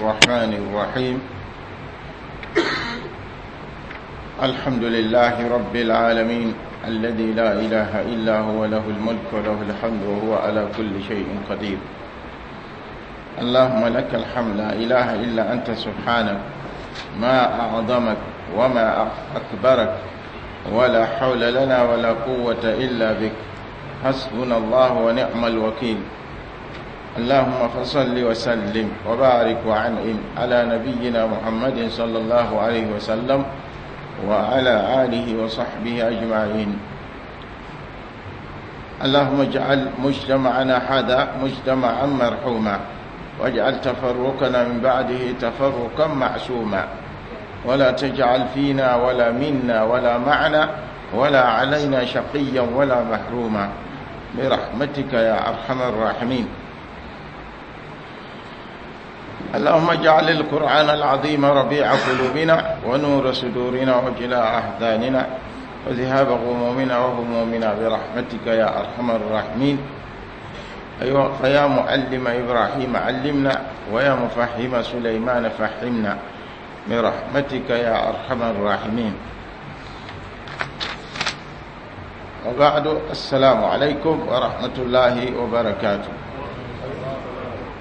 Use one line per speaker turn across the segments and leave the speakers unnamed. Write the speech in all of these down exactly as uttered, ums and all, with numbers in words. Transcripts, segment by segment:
الرحمن الرحيم. الحمد لله رب العالمين الذي لا إله إلا هو له الملك وله الحمد وهو على كل شيء قدير. اللهم لك الحمد لا إله إلا أنت سبحانك ما أعظمك وما أكبرك ولا حول لنا ولا قوة إلا بك، حسبنا الله ونعم الوكيل. اللهم فصل وسلم وبارك وعنعم على نبينا محمد صلى الله عليه وسلم وعلى آله وصحبه أجمعين. اللهم اجعل مجتمعنا هذا مجتمعا مرحوما، واجعل تفرقنا من بعده تفرقا معصوما، ولا تجعل فينا ولا منا ولا معنا ولا علينا شقيا ولا محروما برحمتك يا أرحم الراحمين. اللهم اجعل القرآن العظيم ربيع قلوبنا ونور صدورنا وجلاء أحزاننا وذهاب غمومنا وهمومنا برحمتك يا أرحم الراحمين. أيوة، فيا معلم إبراهيم علمنا، ويا مفهم سليمان فهمنا برحمتك يا أرحم الراحمين. وبعد، السلام عليكم ورحمة الله وبركاته.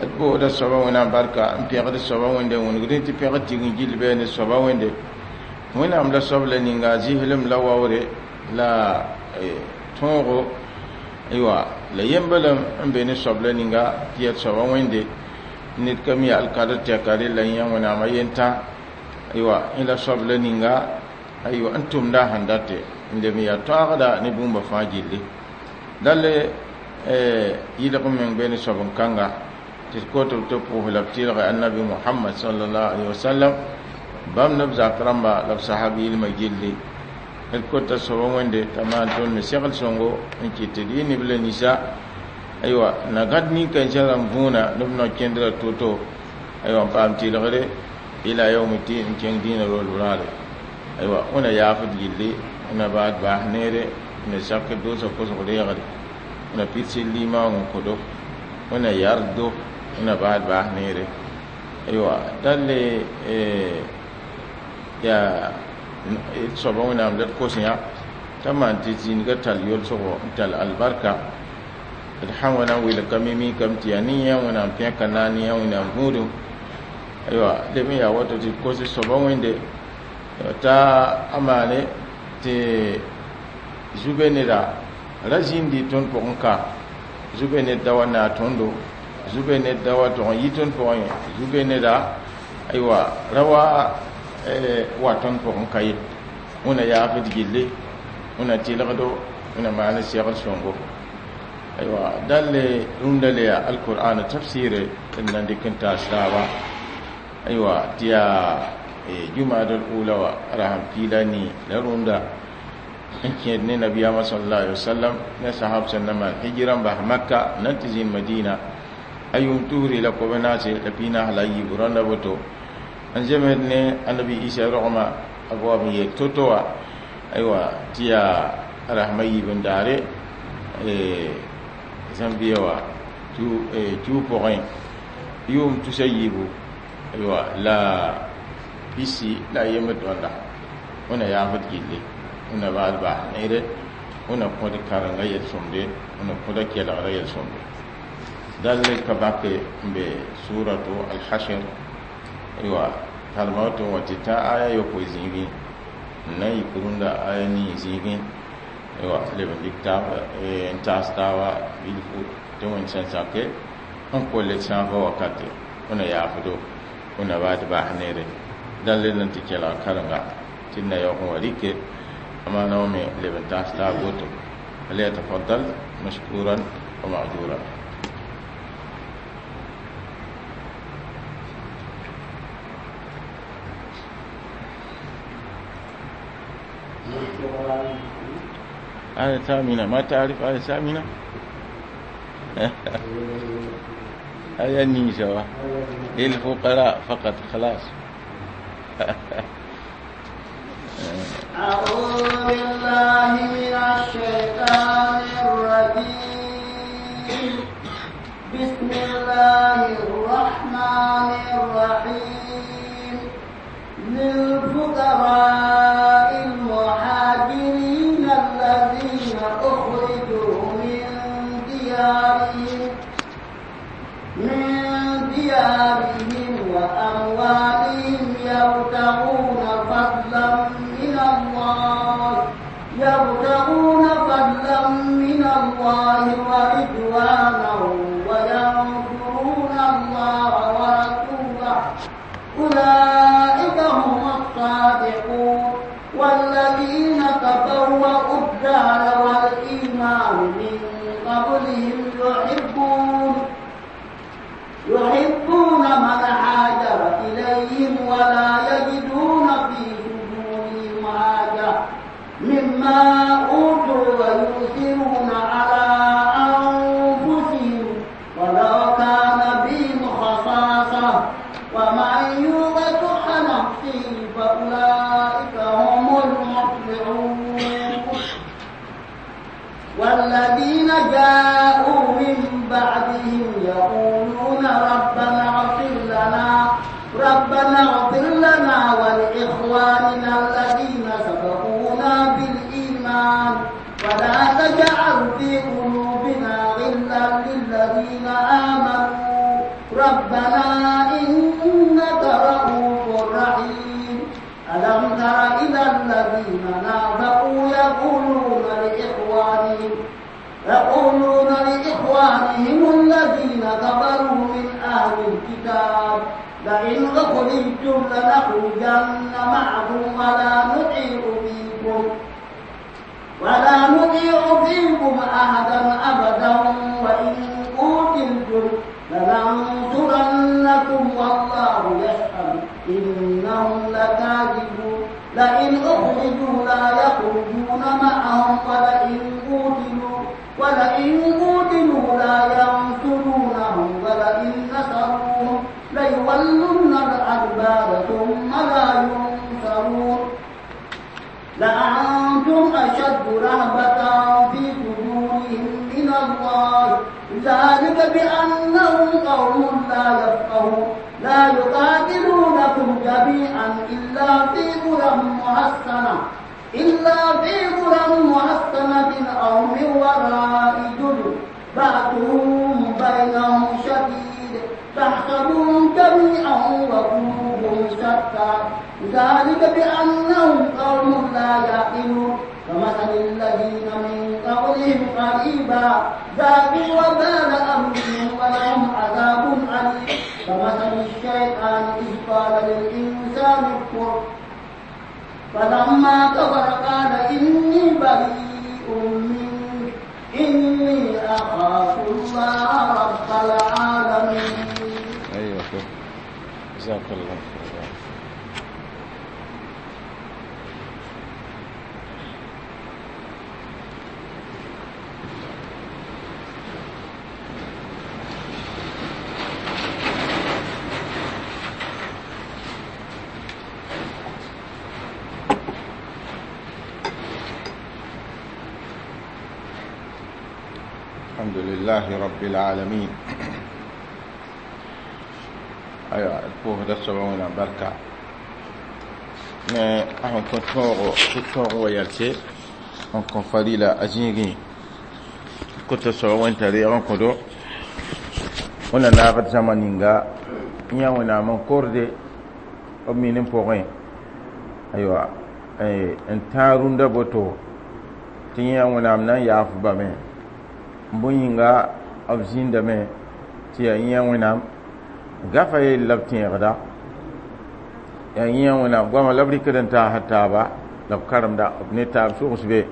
d soaba wẽnnaam barka n pẽgd soaba wẽnde wĩnegd tɩ pẽgd tign gill bɩ ne soaba wẽnde wẽnnaam la soab la ninga zɩslem la waoore la tõogo aywa la yembelem n be ne soab la ninga tɩ yaa soaba wẽnde ned ka mi alkadr tɛka rella yã wẽnnaamã yentã aywa yẽ la soab la ninga aywa n tʋmda a sẽn date n leb n yaa toaagda ne bũmba fãa gilli dale yɩlg meng be ne soab n kãnga tɩ koto tɩ pʋʋs la b tɩlge annabi Muhammad sallallahu alaihi wasallam bãmb neb zak rãmba la b sahab yɩlmã gilli d kota soaba wẽnde t'a maan tõnd me segl sõngo n kɩt tɩ d yɩ neb la ninsã aywa na gãd nin-kãensã rãmb võona neb no-kẽndrã to-to aywa n paam tɩlgre ila yaumti n kẽng dĩinã rol raare aywa wẽna yaafd gilli wẽna baad baas neere wẽna sak doosã kosg reegre wẽna pids limaoong n kodo wẽna yardo wẽna baad baas neere aywa dalle yaa d soaba wẽnnaam la d kos yã t'a maan tɩ zĩnigã tall yolsgo n tall albarka d sã wa na n wilg ka me mikame tɩ yaa ne yã wẽnnaam pẽka na ne yã wẽnnaam gũudum aywa leb n yaa woto tɩ d kos d soaba wẽnde t'a a maane tɩ zube neda ra zĩndi tõnd pʋgẽ ka zube ned da wa naa tõndo zube ned da wa tʋg n yi tõnd pʋgẽ ye zube neda aywa ra wa wa tõnd pʋgẽ ka ye wẽna yaafd gilli wẽna tɩlgdo wẽna maan segl sõngo aywa dãlle rũndã le yaa alqur'an tafsire d na n dɩk n taas taaba aywa tɩ yaa jumada ula wa rasam piila nii la rũndã n kẽed ne nabiyaamã sallallahu alaihi wasallam ne sahab sẽn na maan hijra n bas Makka na n tɩ zĩnd Madina a yʋʋm tusri la kob naase la piig-naas la a yiibu rãnda woto n zems ne annabi Isa rogmã a goam n yeel to-to wã aywa tɩ yaa rasmã yiib n daare zãmbia wã kiu pʋgẽ yʋʋm tusa yiibu aywa la pisi la a yembd tõnda wẽna yaafd gilli wẽna baad baas neere wẽna kõd karenga yel-sõmde wẽna kõda kelgra yel-sõmde dal ka bake n be suratu alhashr aywa kalma woto n wa tɩ tã aya yopoe zĩigẽ n na n yik rũndã aya nii zĩigẽ aywa leb n dɩk taab n taas taaba bilfu tɩ wẽnd sẽn sake n kolle sãafã wakate wẽna yaafdo wẽna baad baas neere dãn le na n tɩ kelg karenga tɩ d na yaoog n wa rɩke amaana wã me leb n taas taab woto فليتفضل مشكورا ومأجورا. آية ثامنة، ما تعرف آية ثامنة؟ آية النيسة للفقراء فقط خلاص.
أعوذ بالله من الشيطان الرجيم. بسم الله الرحمن الرحيم للفقراء المهاجرين الذين أخرجوا من ديارهم من ديارهم وأموالهم يبتغون فضلا من الله يبتغون فضلا من الله ورضوانه وينصرون الله ورسوله أولئك هم الصادقون والذين تبوأوا الدار والإيمان من قبلهم يحبون يحبون من هاجر إليهم ولا يجدون في صدورهم حاجة مما أوتوا ويؤثرون على أنفسهم ولو كان بهم خصاصة ومن يوق شح نفسه فأولئك هم المفلحون والذين جاءوا من بعدهم يقولون ربنا اغفر لنا ربنا اغفر لنا ولإخواننا الذين سبقونا بالإيمان ولا تجعل في قلوبنا غلا للذين آمنوا ربنا إنك رؤوف رحيم ألم تر إلى الذين نافقوا يقولون لإخوانهم يقولون لإخوانهم الذين كفروا من أهل الكتاب لئن أخرجتم لنخرجن معكم ولا نطيع فيكم ولا نطيع فيكم أحدا أبدا وإن قتلتم لننصرنكم والله يشهد إنهم لكاذبون لئن أخرجوا لا يخرجون معهم ولئن قتلوا ولئن قتلوا لا ينصرونهم ولئن نصروهم ليولن الأدبار ثم لا ينصرون لأنتم أشد رهبة في صدورهم من الله ذلك بأنهم قوم لا يفقهون لا يقاتلونكم جميعا إلا في قرى محصنة إلا في قرى محصنة أو من وراء جدر بأسهم بينهم شديد تحسبهم جميعا وقلوبهم شتى ذلك بأنهم قوم لا يعقلون كمثل الذين من قبلهم قريبا ذاقوا وبال أمرهم ولهم عذاب أليم كمثل الشيطان إذ قال للإنسان اكفر فلما كفر قال إني بريء منك إني أخاف الله رب العالمين.
أيوة جزاك الله خيرا. الحمد لله رب العالمين. أيوة الكوه ده سبعون بركة. mais ahon ko tɔɔgɔ tɩ tɔɔg wa yɛlse n kõ farila a zĩigẽ kota soaba wẽnta reeg n kõdo wẽnna naagd zãma ninga n yã wẽnnaam n korde b min n pʋgẽ aywa n tãag rũndã boto tɩ yã wẽnnaam na n yaaf bame bõe yĩnga b zĩndame tɩ yaa yã wẽnnaam gafa yell la b tẽegda yaa yã wẽnnaam goama la b rɩkd n taasd taaba la b karemda b ne taab sogs be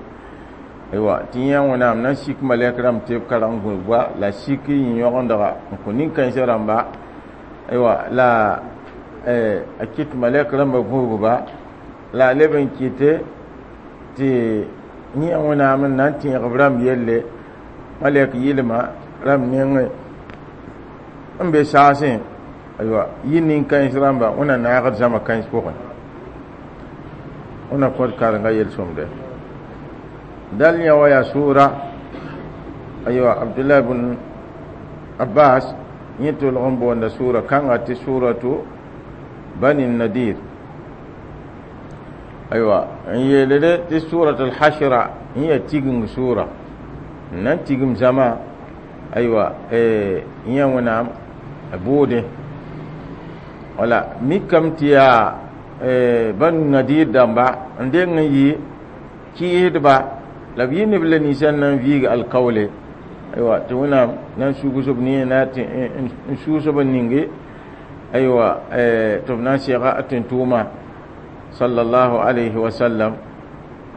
aywa tɩ yã wẽnnaam na n sik malɛk rãmb tɩ b kareng gũudba la sik yĩ-yõgendga n kõ nin-kãensã rãmba aywa la a kɩt malɛk rãmbã gũudba la a leb n kɩte tɩ yã wẽnnaam n na n tẽeg b rãmb yelle malɛk yɩlma rãmb nengẽ n be saasẽ aywa yɩ nin-kãens rãmba wẽnna naagd zãma kãens pʋgẽ wẽnna kõt karenga yel-sõmde dal yã wa yaa sʋʋra aywa abdullah bn Abbas yẽ tolg n boonda sʋʋra kãnga tɩ sʋʋratu Bani Nadir. Aywa, n yeelde tɩ surat al-hashra n yaa tigeng sʋʋra n na n tigim zãma. Aywa, yẽ Wẽnnaam a boode wala mikame tɩ yaa Banu Nadir dãmba n deng n yɩ kɩɩsdba la b yɩ neb la ninsã n na n viig alkaoole. Aywa, tɩ Wẽnnaam na n sugs b ne na tɩ n sʋʋs b n ninge. Aywa, tɩ b na n sega a tẽn-tʋʋma sallallahu alayhi wa sallam.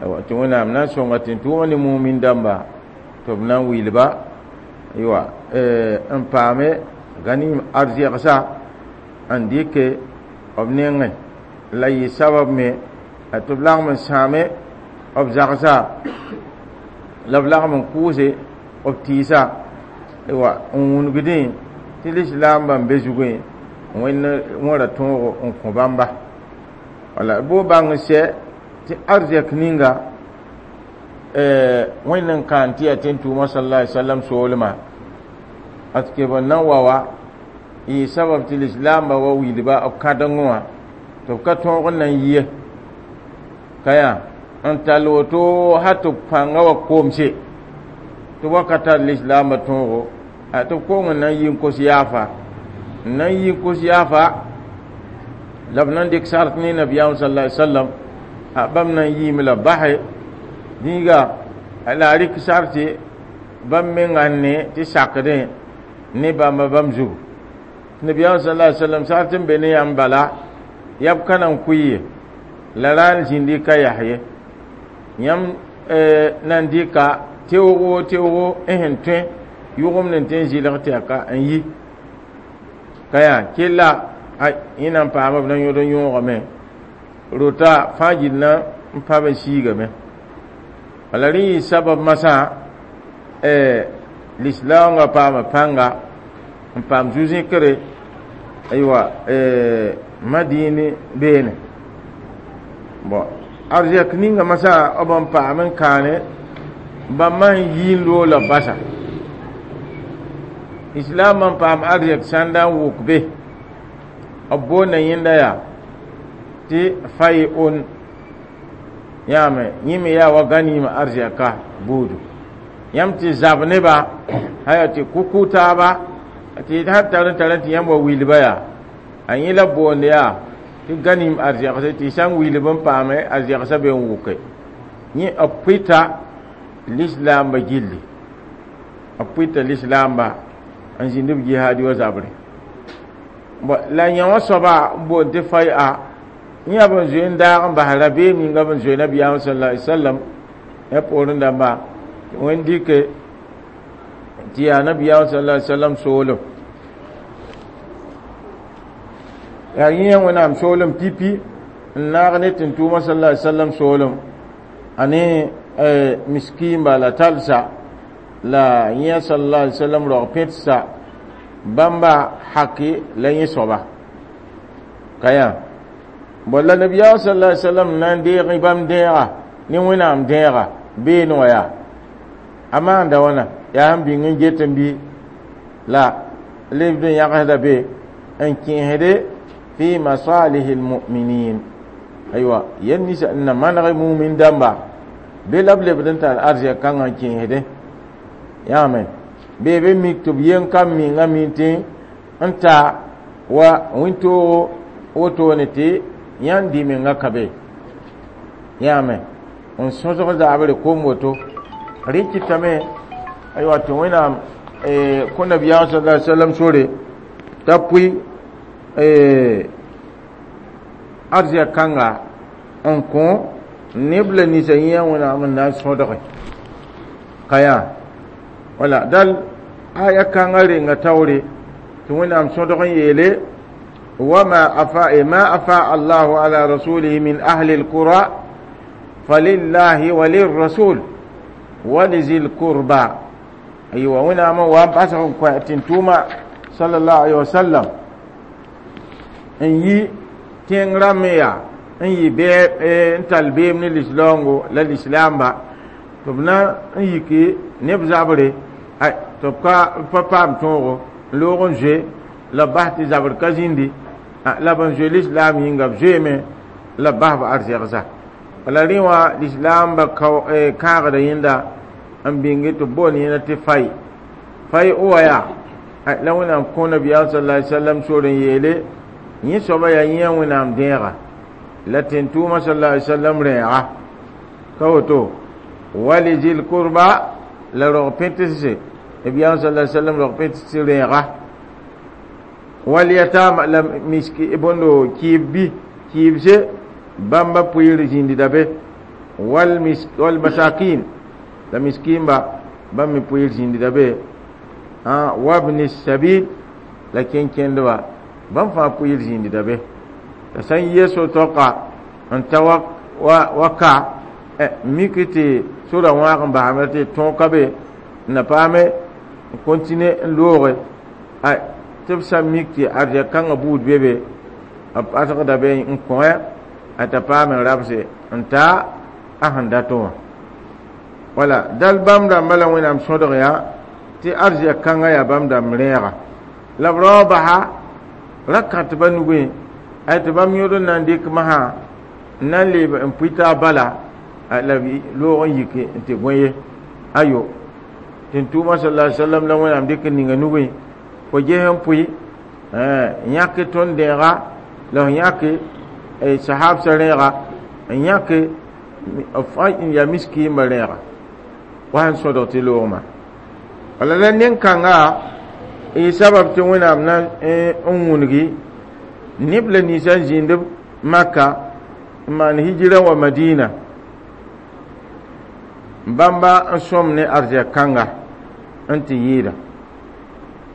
Aywa, tɩ Wẽnnaam na n sõnga tẽn-tʋʋma ne mumin dãmba tɩ b na n wilba. Aywa, n paame ganim arzɛgsa n dɩke b nengẽ la yɩ sabab me tɩ b lagem n sãame b zagsa la b lagem n kʋʋse b tɩɩsa. Aywa, n wũnugdẽ tɩ lislaambã n be zugẽ Wẽnd wẽra tõogo n kõ bãmba. Wala bo bãng n sɛ tɩ arzɛk ninga Wẽnd n kaan tɩ yaa tẽn-tʋʋmã sallallahu alaihi wasallam soolmã d keb n na n wa wa yɩ sabab tɩ lislaambã wa wilba b kãdengẽ wã tɩ b ka tõog n na n yie ka yaa n tall woto hal tɩ b pãngã wa koomse tɩ wa ka tar lislaambã tõogo tɩ b kong n na n yi n kos yaafa n na n yi n kos yaafa la b na n dɩk sart ne nabiyaam sallallahu alaihi wasallam. Bãmb na n yiime la base dĩiga la a rɩk sarte bãmb menga n ne tɩ sakdẽ ne bãmba bãmb zugu. Nabiyaam sallallahu alaihi wasallam sart n be ne yãmb bala yaa b ka na n kʋɩ ye la ra n zĩndi ka yas ye yãmb na n dɩka teoogo teoogo n sẽn tõe yʋgemd n tõe n zɩlg tɛka n yi ka yaa kella yẽ na n paama b na yõd n yõogame rota fãa gill na n pãb n siigame. Wala rẽ yɩ sabab masã lislaoongã paama pãnga n paam zu-zẽkre. Aywa, Madini beene bon arzɛk ninga masã b n paam n kaane bãmb n yi n loola basa islam n paam arzɛk sãnda n wʋk be b boonda yẽnda yaa tɩ fay on yãame yẽ me yaa wa ganima arzɛka buudu yãmb tɩ zab neba aya tɩ kʋ taaba tɩ sã tar n tar tɩ yãmb wa wilba yaa a yẽ la boond yaa tɩ ganim arzɛgse tɩ sã n wilb n paame arzɛgsã be n wʋke yẽ b pʋɩta lislaambã gilli b pʋɩta lislaamba n zĩnd b jihaadi wa zabre. La yã wã soaba n boond tɩ fay a yẽ yaa b n zoe n daag n bas rabeem yĩnga b n zoe nabiyaam sallallahu alaihi wasallam ya poorẽ dãmba tɩ Wẽnd dɩke tɩ yaa nabiyaam sallallahu alaihi wasallam soolem yaa yẽ Wẽnnaam soolem pipi n naag ne tẽn-tʋʋmã sallallahu alaihi wasallam soolem a ne miskiinba la talsa la yẽ sallallahu alaihi wasallam rog pẽtsa bãmba haki la yẽ soaba ka yaa bon la nabiyaam sallallahu alaihi wasallam na n deeg bãmb dẽega ne Wẽnnaam dẽega beene wã yaa a maanda wãna yaa sẽn bĩng n get n bɩ la lebd n yãgsda be n kẽesde fi masalihi almu'minin. Aywa, yel ninsa n na maneg mumin dãmba be la b lebd n tar arzɛk kãngã n kẽesde yãame bee be mik tɩ b yen kam minga min tɩ n ta wa wẽn-toogo wotone tɩ yãnd dɩ menga ka be yãame n sõsg zaabre kom woto rẽ kɩtame. Aywa, tɩ Wẽnnaam kõ nabiyaam sallallahu alaihi wasallam sore t'a pʋɩ arzɛk kãnga n kõ neb la ninsã yẽ Wẽnnaam n na n sõdge ka yaa wala dal aya kãngã renga taoore tɩ Wẽnnaam sõdg n yeele وما أفاء ما أفاء الله على رسوله من أهل القرى فلله وللرسول ولذي القربى. أيوة، وين ما وان تنتوما صلى الله عليه وسلم إن يي تين رميا إن يي بي إن تلبيم من الإسلام للإسلام با تبنا إن يكي نبزابري أي تبقى بابام تونغو. n loog n zoe la b bas tɩ zabr ka zĩndi la b n zoe lislaam yĩnga b zoeeme la b bas b arzɛgsa wala rẽ wã lislaamba kãagda yẽnda n bĩnge tɩ b boond yẽnda tɩ fay fay o wa yaa la wẽnnaam kõ nabiyaam sala ali sallam sor n yeele yẽ soaba yaa yẽ wẽnnaam dẽega la tẽn-tʋʋmã sala ali sallam rẽega ka woto walizil kurba la rog pẽtse nabiyaam sala ali sallam rog pẽtse rẽega walyatama la miski bõndo kɩɩb bi kɩɩbse bãmba pʋɩɩr zĩndda be wal wal masakin la miskimba bãmb me pʋɩɩr zĩndda be wabni sabil la kẽn-kẽndba bãmb fãa pʋɩɩr zĩndda be la sã n yɩ so-toaka n ta wa ka mik tɩ sora wãag n basame tɩ tõog ka be n na paame n kontine n looge tɩ b sã n mik tɩ arzɛk kãngã buud be be b ãsgda be n kõ a t'a paam n rabse n ta a sẽn dat wã wala dal bãmb rãmbã la wẽnnaam sõdg yaa tɩ arzɛk kãngã yaa bãmb dãmb rẽega la b raoog basa ra kãtba nugẽ ay tɩ bãmb yõod n na n dɩk masã n na n leeb n pʋɩ taab bala la b loog n yike n tɩ gõe ye ayo tẽn-tʋʋmã sala sallam la wẽnnaam dɩk n ninga nugẽ fo ges n pʋɩ yãk tõnd dẽega la f yãke sahabsã rẽega n yãke n yaa miskiimã rẽega wa sẽn sõdg tɩ loogmã wala la nen-kãnga y sabab tɩ wẽnnaam na n wũngi neb la ninsã n zĩnd maka n maan hijira wa madina bãmba n sõm ne arzɛk kãnga n tɩ yɩɩda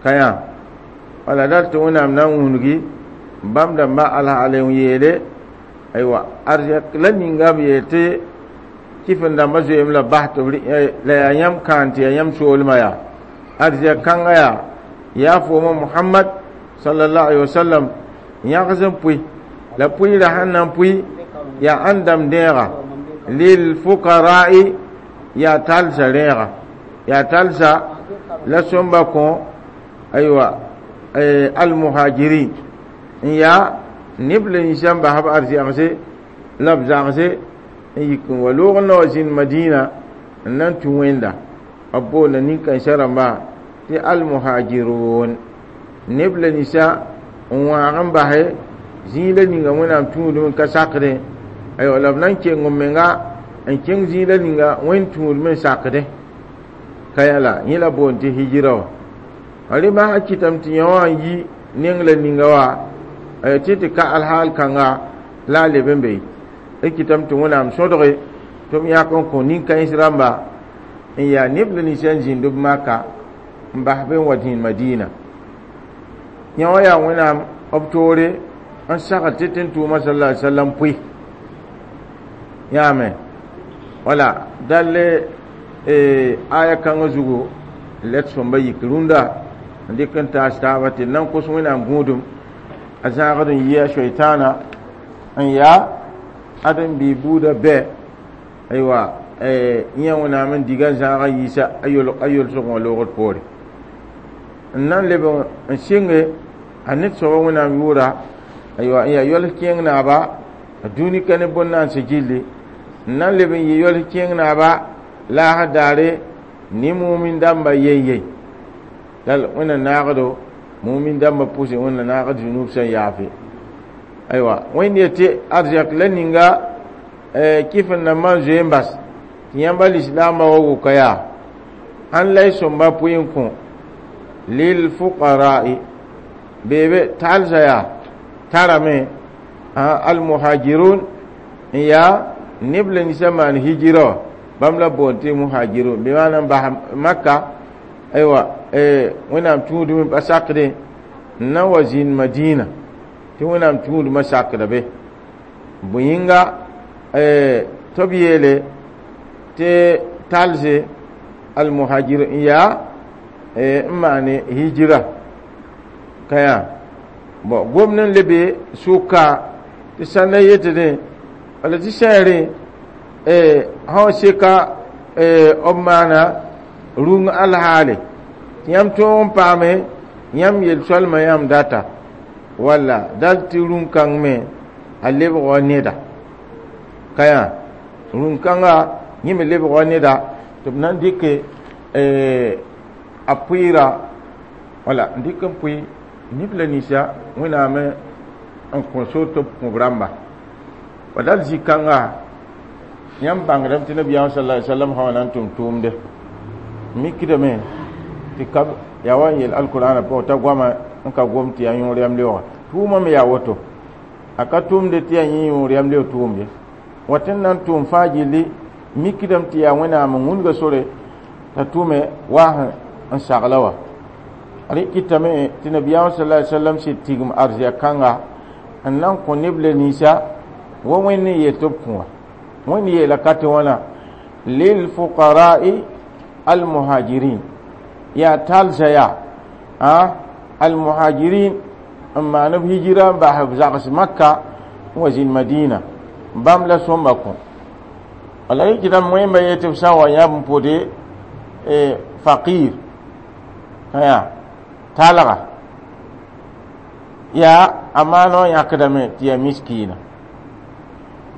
ka yã wala dal tɩ wẽnnaam na n wũngi bãmb dãmbã alhaal n yeele aywa arzɛk la ninga b yeel tɩ kɩf n dãmbã zoeem la bas tɩ la yaa yãmb kãan tɩ yaa yãmb soolmã yaa arzɛk kãngã yaa yaa fooma muhammad sallallahu alaihi wasallam yãgs n pʋɩ la pʋɩɩrã sẽn na n pʋɩ yaa ãn dãmb dẽega lil fuqara'i yaa talsa rẽega yaa talsa la sõmba kõ aywa almuhajirin n yaa neb la ninsã n bas b arzɛgse la b zagse n yik n wa loog n na wa zĩnd madina n na n tũ wẽnda b boonda nin-kãensã rãmba tɩ almuhajirun neb la ninsã n wãag n base zĩig la ninga wẽnnaam tũudem n ka sakdẽ aywa la b na n keng m menga n kẽng zĩig la ninga wẽnd tũudem n sakdẽ ka yã la yẽ la boond tɩ hijira wã rẽ masã kɩtame tɩ yã wã n yi neng la ninga wa tɩ tɩ ka alhaal kãnga la a leb n be d kɩtame tɩ wẽnnaam sõdge tɩ b yãk n kõ nin-kãens rãmba n yaa neb la ninsã n zĩnd b maka n bas be n wa zĩnd madina yã wã yaa wẽnnaam b toore n sagl tɩ tẽn-tʋʋmã sala ali sallam pʋɩ yãame wala dall aya kãngã zugu la d sõmba yik rũndã n dɩk n taas taaba tɩ d na n kos wẽnnaam gũudum a zãagd n yɩ a soitaana n yaa ad n bɩ buudã bɛ aywa yẽ wẽnnaam n diga n zãag n yiisa a yolsg wã loogd poore n na n leb n sɩnge a ned soaba wẽnnaam yʋʋra aywa n yaa yols kẽeng naaba a dũni ka ne bõn-naanse gilli n na n leb n yɩ yols kẽeng naaba laasd daare ne mumin dãmba yen yen dal wẽnna naagdo mumin dãmba pʋsẽ wẽnna naagd zunub sẽn yaafe aywa wẽnd yetɩ arzɛk la ninga kɩf n nambã n zoe n bas tɩ yãmba lislaambã wa wʋka yaa ãn la y sõmba pʋɩ n kõ lil fuqara'i beebe talsa yaa tarame almuhajirun n yaa neb la ninsã maan hijira wã bãmb la boond tɩ muhajirun bɩ maana n bas maka aywa wẽnnaam tũudem pa sakdẽ n na wa zĩnd madina tɩ wẽnnaam tũudmã sakda be bõe yĩnga tɩ b yeele tɩ talse almuhajir n yaa n maane hijira ka yaa bon gomd n lebe sʋka tɩ sãnda yetdẽ wala tɩ sẽere sã seka b maana rũng alhaale tɩ yãmb tõog n paame Yãmb yel-soalmã yãmb data walla dal tɩ rũn-kãng me a lebg wa neda ka yã rũn-kãnga yẽ me lebg wa neda tɩ b na n dɩke a pʋɩɩra wala n dɩk n pʋɩ neb la ninsa Wẽnnaam n kõ sor tɩ b kõ b rãmba wa dal zĩ-kãnga yãmb bãngdame tɩ nabiyaam sala alai sallam sã wa na n tʋm tʋʋmde mikdame tɩ ka yaa wa n yel alkurãana pʋgẽ t'a goama n ka gom tɩ yaa yõor yam leooga tʋʋmã me yaa woto a ka tʋmde tɩ yaa yẽ yõor yam leoog tʋʋm ye wa tɩ n na n tʋʋm fãa gilli mikdame tɩ yaa Wẽnnaam n wũnga sore t'a tʋme waas n sagla wa rẽ kɩtame tɩ nabiyaam sala alai sallam sɩd tigm arzɛk kãnga n na n kõ neb la ninsa wa Wẽnd n yeel tɩ b kõ wã Wẽnd yeela ka tɩ wãna lilfuqara'i almuhajirin yaa talsa yaa a almuhajirin n maan b hijira n bas b zags Makka n wa zĩnd Madina bãmb la sõmba kõ wala rẽ kɩtame wẽmba yetɩ b sã n wa yãb n pʋde faqir yaa talga yaa a maana wã yãkdame tɩ yaa miskiina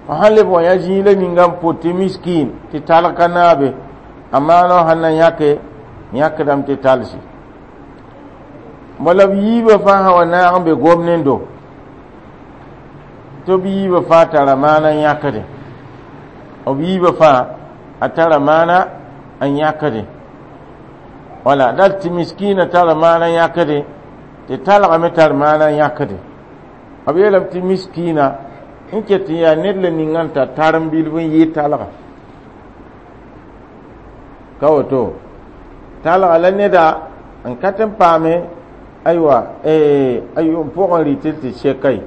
fo sãn leb wa yã zĩig la ninga n pʋt tɩ miskin tɩ talg ka naabe a maana wã sãn na yãke yãkdame tɩ talsi bala b yiibã fãa sã wa naag n be gomnendo tɩ b yiibã fãa tara maana n yãkdẽ b yiibã fãa a tara maana n yãkdẽ wala dal tɩ miskiina tara maana n yãkdẽ tɩ talga me tar maana n yãkdẽ b yeelame tɩ miskiina n ket n yaa ned la ninga n tar tarem bilf n yɩɩ talga ka woto talga la neda n ka tɩ n paame aywa a yʋʋm pʋgẽ rɩtɩ tɩ seka ye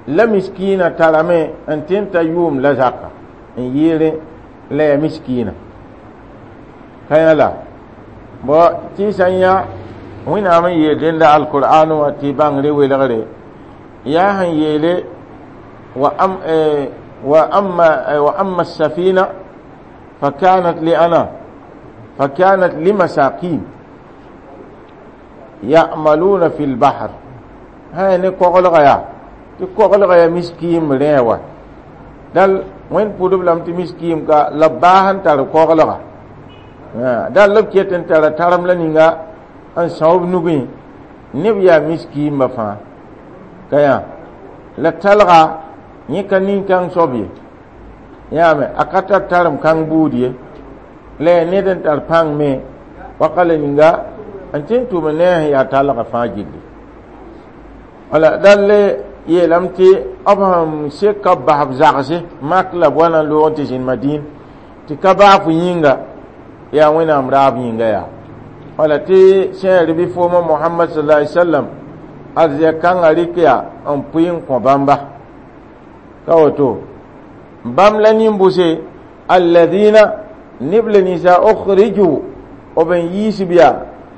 la miskiina tarame n tɩ n ta yʋʋm la zaka n yɩɩrẽ la yaa miskiina ka yã la bo tɩ sã n yã Wẽnnaam n yeel dẽnda alkur'an wã tɩ bãngre welgre yaa sẽn yeele wa am wa amma wa amma safina فكانت لأنا فكانت لمساكين يعملون في البحر هاي ne koglga yaa tɩ koglga yaa miskiim rẽ wa dal Wẽnd pʋdb lame tɩ miskiim ka la b baas n tar koglga dal la b ket n tara tarem la ninga n são b nugẽ neb yaa miskiimba fãa ka yã la talga yẽ ka nin-kãng soab ye yãame a ka tar tarem kãng buud ye la yaa ned n tar pãng me waka la ninga n tɩ n tʋm ne a sẽn yaa talga fãa gilli wala dal yeelame tɩ b sẽn seka b bas b zagse mak la b wa na n loog n tɩ zĩnd Madin tɩ ka baafo yĩnga yaa Wẽnnaam raab yĩnga yaa wala tɩ sẽn bɩ fooma Mohamad sallallahu alaihi wasallam arzɛk kãngã rɩk yaa n pʋɩ n kõ bãmba ka woto bãmb la nin-bʋse alladina neb la ninsa ukhriju b n yiisb yaa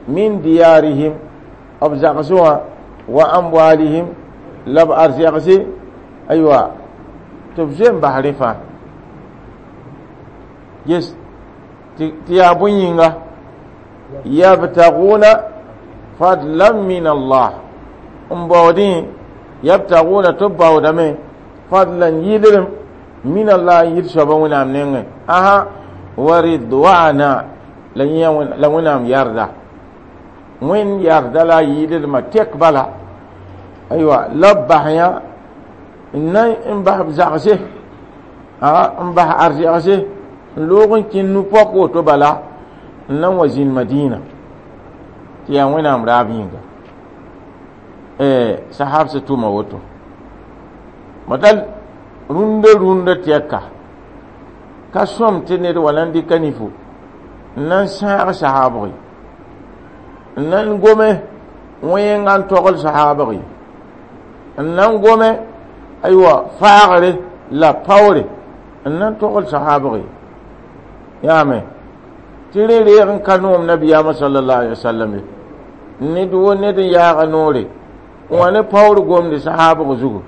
min diyarihim b zagsẽ wã wa amwalihim la b arzɛgse aywa tɩ b zoe n bas rẽ fãa ges tɩ yaa bõe yĩnga yabtaguna fadlan min Allah n baoodẽ yabtaguna tɩ b baoodame fadlan yɩlrem min Allah n yit soaba Wẽnnaam nengẽ asa wa ridwana la Wẽnnaam yarda Wẽnd yarda la a yɩɩdlmã tɛk bala aywa la b bas yã n na n bas b zagse n bas arzɛgse n loog n kẽnd nu-pɔk woto bala n na n wa zĩnd Madina tɩ yaa Wẽnnaam raab yĩnga sahab sã tʋma woto dal rũndã rũndã tɛka ka sõm tɩ ned wa na n dɩka nifo n na n sãag sahaabg ye n na n gome wẽnga n togl sahaabg ye n na n gome aywa faagre la paoore n na n togl sahaabg ye yaame tɩ rẽ reeg n ka noom nabiyaamã sallallahu alaihi wasallam ye ned wo ned n yaaga noore n wa ne paoor gomde sahaabg zugu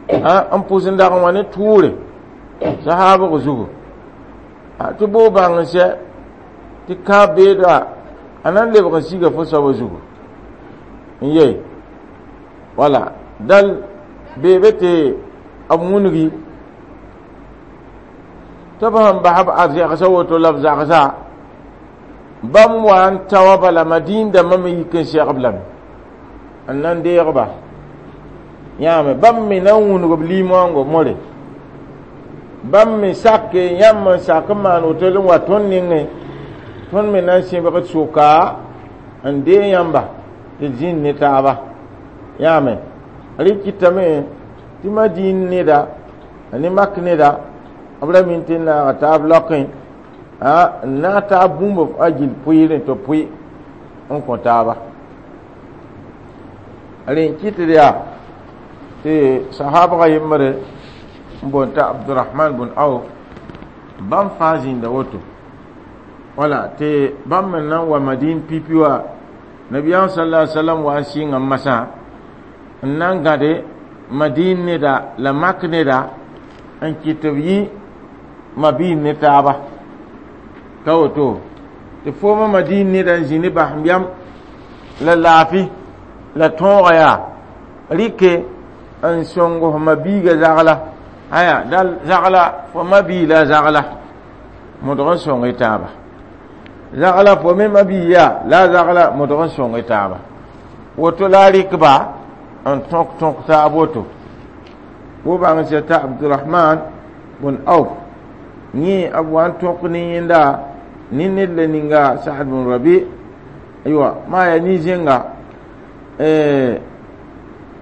n pʋs n dag n wa ne tʋʋre sahaabg zugu tɩ boo bãng n sɛ tɩ kãab beeda A na n lebg n siga fo soabã zugu n ye wala dal beebe tɩ b wũngi tɩ b sẽn bas b arzɛgsã woto la b zagsa bãmb wa n ta wa bala madiin dãmbã me yik n segb lame n na n deegba yãame bãmb me na n wũnug b lim-wãngo more bãmb me sake yãmb n sak n maan woto n wa tõnd nengẽ tõnd me na n sẽbg soka n dee yãmba tɩ d zĩnd ne taaba yãame rɩ kɩtame tɩ madiin neda ne mak neda b ra min tɩ n naaga taab laokẽ n naag taab bũmb a gill pʋɩɩrẽ tɩ pʋɩ n kõ taaba rẽ n kɩtd yaa tɩ sahabga yembre n boond t'a abdurahman bun auf bãmb fãa zĩnda woto wala tɩ bãmb me na n wa madin pipi wa nabiyaam sala alai salam wa n sɩnga n masã n na n gãde madin neda la mak neda n kɩt tɩ b yɩ mabiin ne taaba ka woto tɩ foomã madin neda n zĩ ne basẽmbyam la laafɩ la tõoga yaa rɩke n sõng f mabiiga zagla aya dal zagla fo mabii la zagla modg n sõng y taaba zagla fo me mabii yaa la zagla modg n sõng y taaba woto la a rɩkba n tõk tõk taab woto wo bãng sã t'a abdurahman bun auf yẽ b wa n tõk ne yẽnda ne ned la ninga saad bun rabi aywa maa yaa nin-zẽnga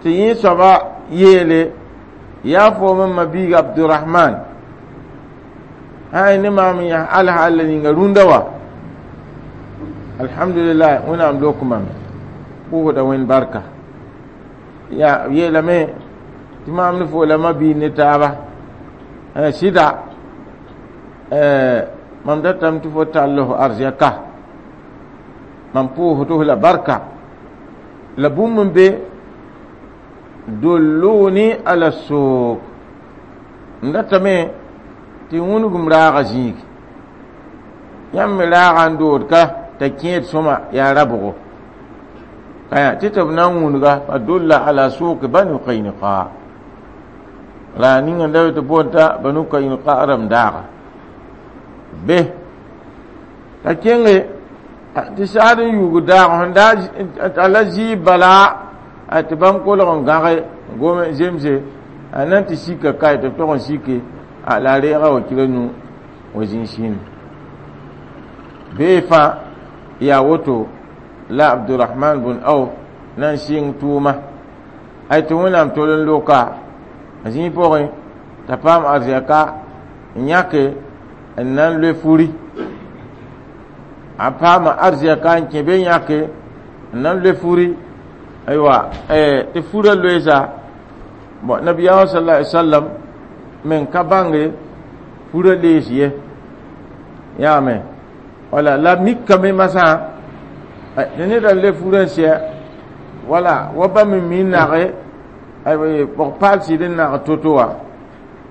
tɩ yẽ soaba yeele yaa foom n mabiig abdurahman sã ne maam n yãs alhaal la ninga rũndã wa alhamdulillah wẽnnaam lok mame pʋʋsda wẽnd barka ya yeelame tɩ maam ne fo la mabiig ne taaba sɩda mam datame tɩ fo tall f arzɛka mam pʋʋsd f la barka la bũmb n be dulluni ala suk n datame tɩ wũnugum raaga zĩig yãmb me raaga n dood ka t'a kẽed sõma yaa rabgo kaya tɩ tɩ b na n wũnuga fa dulla ala suki banu qaynuqa ra ninga n da tɩ boond t'a banu qaynuqa rãmb daaga be t'a kẽnge tɩ saad n yuug daag sẽn daa la zɩɩb bala tɩ bãmb kolg n gãge gome zemse a na n tɩ sika kae tɩ b tog n sike la a reega wa kira nu wa zĩig sĩnd bee fãa yaa woto la abdurahman bun auf na n sɩng tʋʋma ay tɩ wẽnnaam tol n loka a zĩig pʋgẽ t'a paam arzɛka n yãke n na n loe furi a paama arzɛka n kẽ be yãke n na n loe furi aywa tɩ furã loeesa bon nabiyaamã sala alai sallam men ka bãnge furã lees ye yaame wala la mikame masã tɩ ned n le furã n sɛ wala wa bãmb n mi n nage pɔg-paal sɩd n nag to-to wa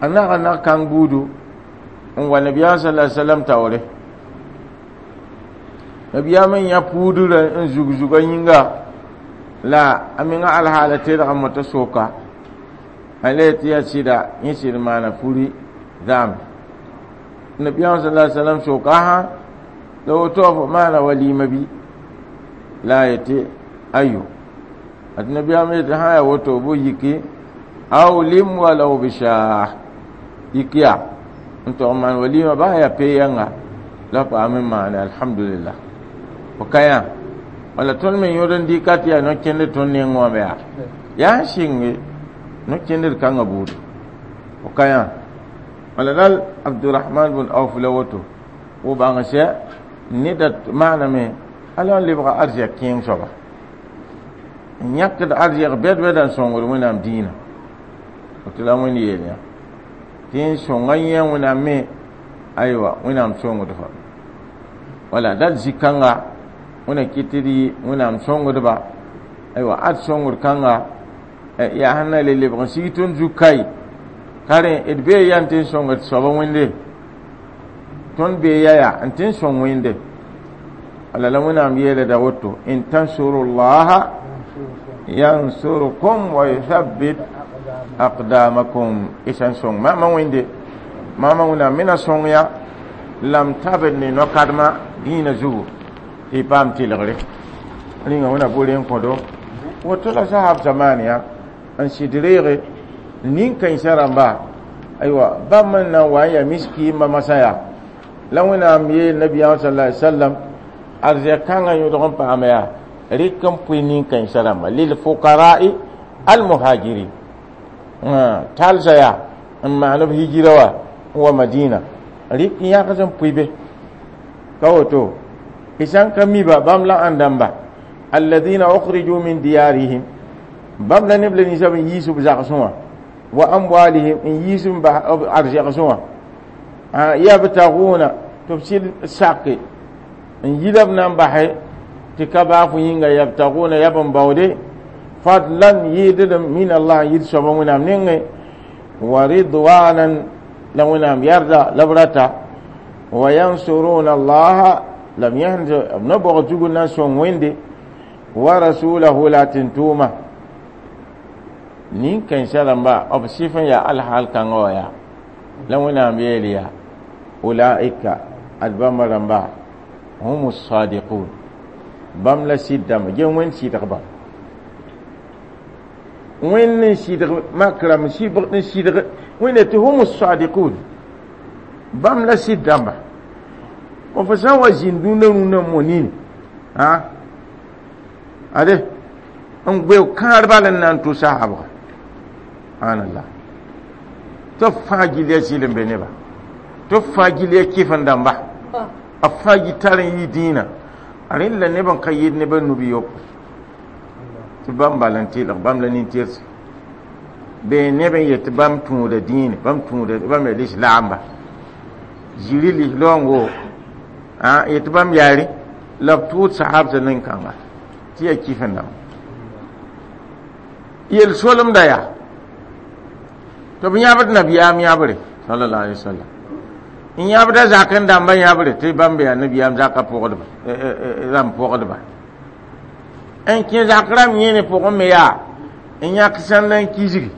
a naga nag kãng buudu n wa nabiyaam sala sallam taoore nabiyaam n yã puudrã n zug zuga yĩnga la a menga alhaala tedga mota soka a le tɩ yaa sɩda yẽ sɩd maana furi zãam nabiyaam sala sallam soka sã la woto fo maana walima bɩ la a yetɩ ayo ad nabiyaam yetɩ sã yaa woto bʋ yiki awlim walau bishaah yik yaa n tog maan walima baa yaa pe-yãnga la paam n maane alhamdulillah fo ka yã wala tõnd me yõd n dɩka tɩ yaa no-kẽnd tõnd neng wã yaa yaa n sɩnge no-kẽndr kãngã buudu fo ka yã wala dal abdurahman bun auf la woto wo bãng sɛ neda maaname ala n lebga arzɛk kẽeng soaba n yãkd arzɛk bɛd-bɛda n sõngd wẽnnaam dĩinã tɩ la wẽnd yeel yã tɩ n sõnga yẽ wẽnnaam me aywa wẽnnaam sõngd fa wala dal zĩ-kãnga wẽna kɩt tɩ d yɩ wẽnnaam sõngdba aywa ad sõngd kãnga yaa sẽn na le lebg n sig tõnd zug kai ka rẽ d bee ya n tɩ n sõngd soaba wẽnde tõnd bee ya yaa n tɩ n sõng wẽnde Ala la wẽnnaam yeela da woto in tansurullaha yansurkum wa yuthabbit aqdamakum y sã n sõng maama wẽnde maama wẽnnaam me na sõng ya lam tabd ne no-kadma dĩinã zugu tɩ y paam tɩlgre rĩnga wẽna bore n kõdo woto la sahab zamaan ya n sɩd reege nin-kãensã rãmba aywa bãmb n na n wa n yaa miskiimba masã yaa la wẽnnaam yeel nabiyaam sala alai sallam arzɛk kãngã yõdg n paama yaa rɩk n pʋɩ nin-kãensã rãmba lilfuqara'i almuhajirin talsa yaa n maan b hijira wa n wa madina rɩk n yãgs n pʋɩ be ka woto y sã n ka mi ba bãmb la ãn dãmba alladina ukhriju min diyarihim bãmb la neb la ninsã b n yiis b zagsẽ wã wa amwalihim n yiis b arzɛgsẽ wã yabtaguna tɩ b sɩd sake n yila b na n basɛ tɩ ka baa fo yĩnga yabtaguna yab n baoode fadlan yɩɩdlem min allah n yɩd soaba wẽnnaam nengẽ wa ridwanan la wẽnnaam yarda la b rata wa yansuruna allaha lam yãsd b na bog zug n na n sõng wẽnde wa rasulahu la tɩ-tʋʋma nin-kãensã rãmba b sɩf n yaa alhaal kãngã wã yaa la wẽnnaam yeel yaa ulaika ad bãmba rãmba hum sadiqun bãmb la sɩd dãmba gem wẽnd sɩdgba wẽnd n sɩdg makrame n sɩdg wẽnde tɩ hum sadiqun bãmb la sɩd dãmba fo sã n wa zĩnd dũnna rũnnã mo nini a ade n gbeo kãar bal n na n tʋ sahabga subhanallah tɩ b fãa gill ya zɩl n be neba tɩ b fãa gill ya kɩf n dãmba b fãa gi tar n yɩ dĩinã a rẽnd la neb n ka yɩd neb n nubi yopo tɩ bãmb bal n tɩlg bãmb la nin-tɩrse bee neb n yet tɩ bãmb tũuda dĩine bãmb tũuda bãmb yaa lislaamba ziri lislaoongo a yet tɩ bãmb yaare la b tʋʋd sahabsã nin-kãnga tɩ yaa kɩf n dãmba yel solemda yaa tɩ b yãbd nabiyaam yãbre sallallahu alaihi wasallam n yãbda zak n dãmba yãbre tɩ bãmb yaa nabiyaam zakã pʋgdba rãmb pʋgdba n kẽ zak rãmb yẽne pʋgẽ me yaa n yãk sãnd n kisgi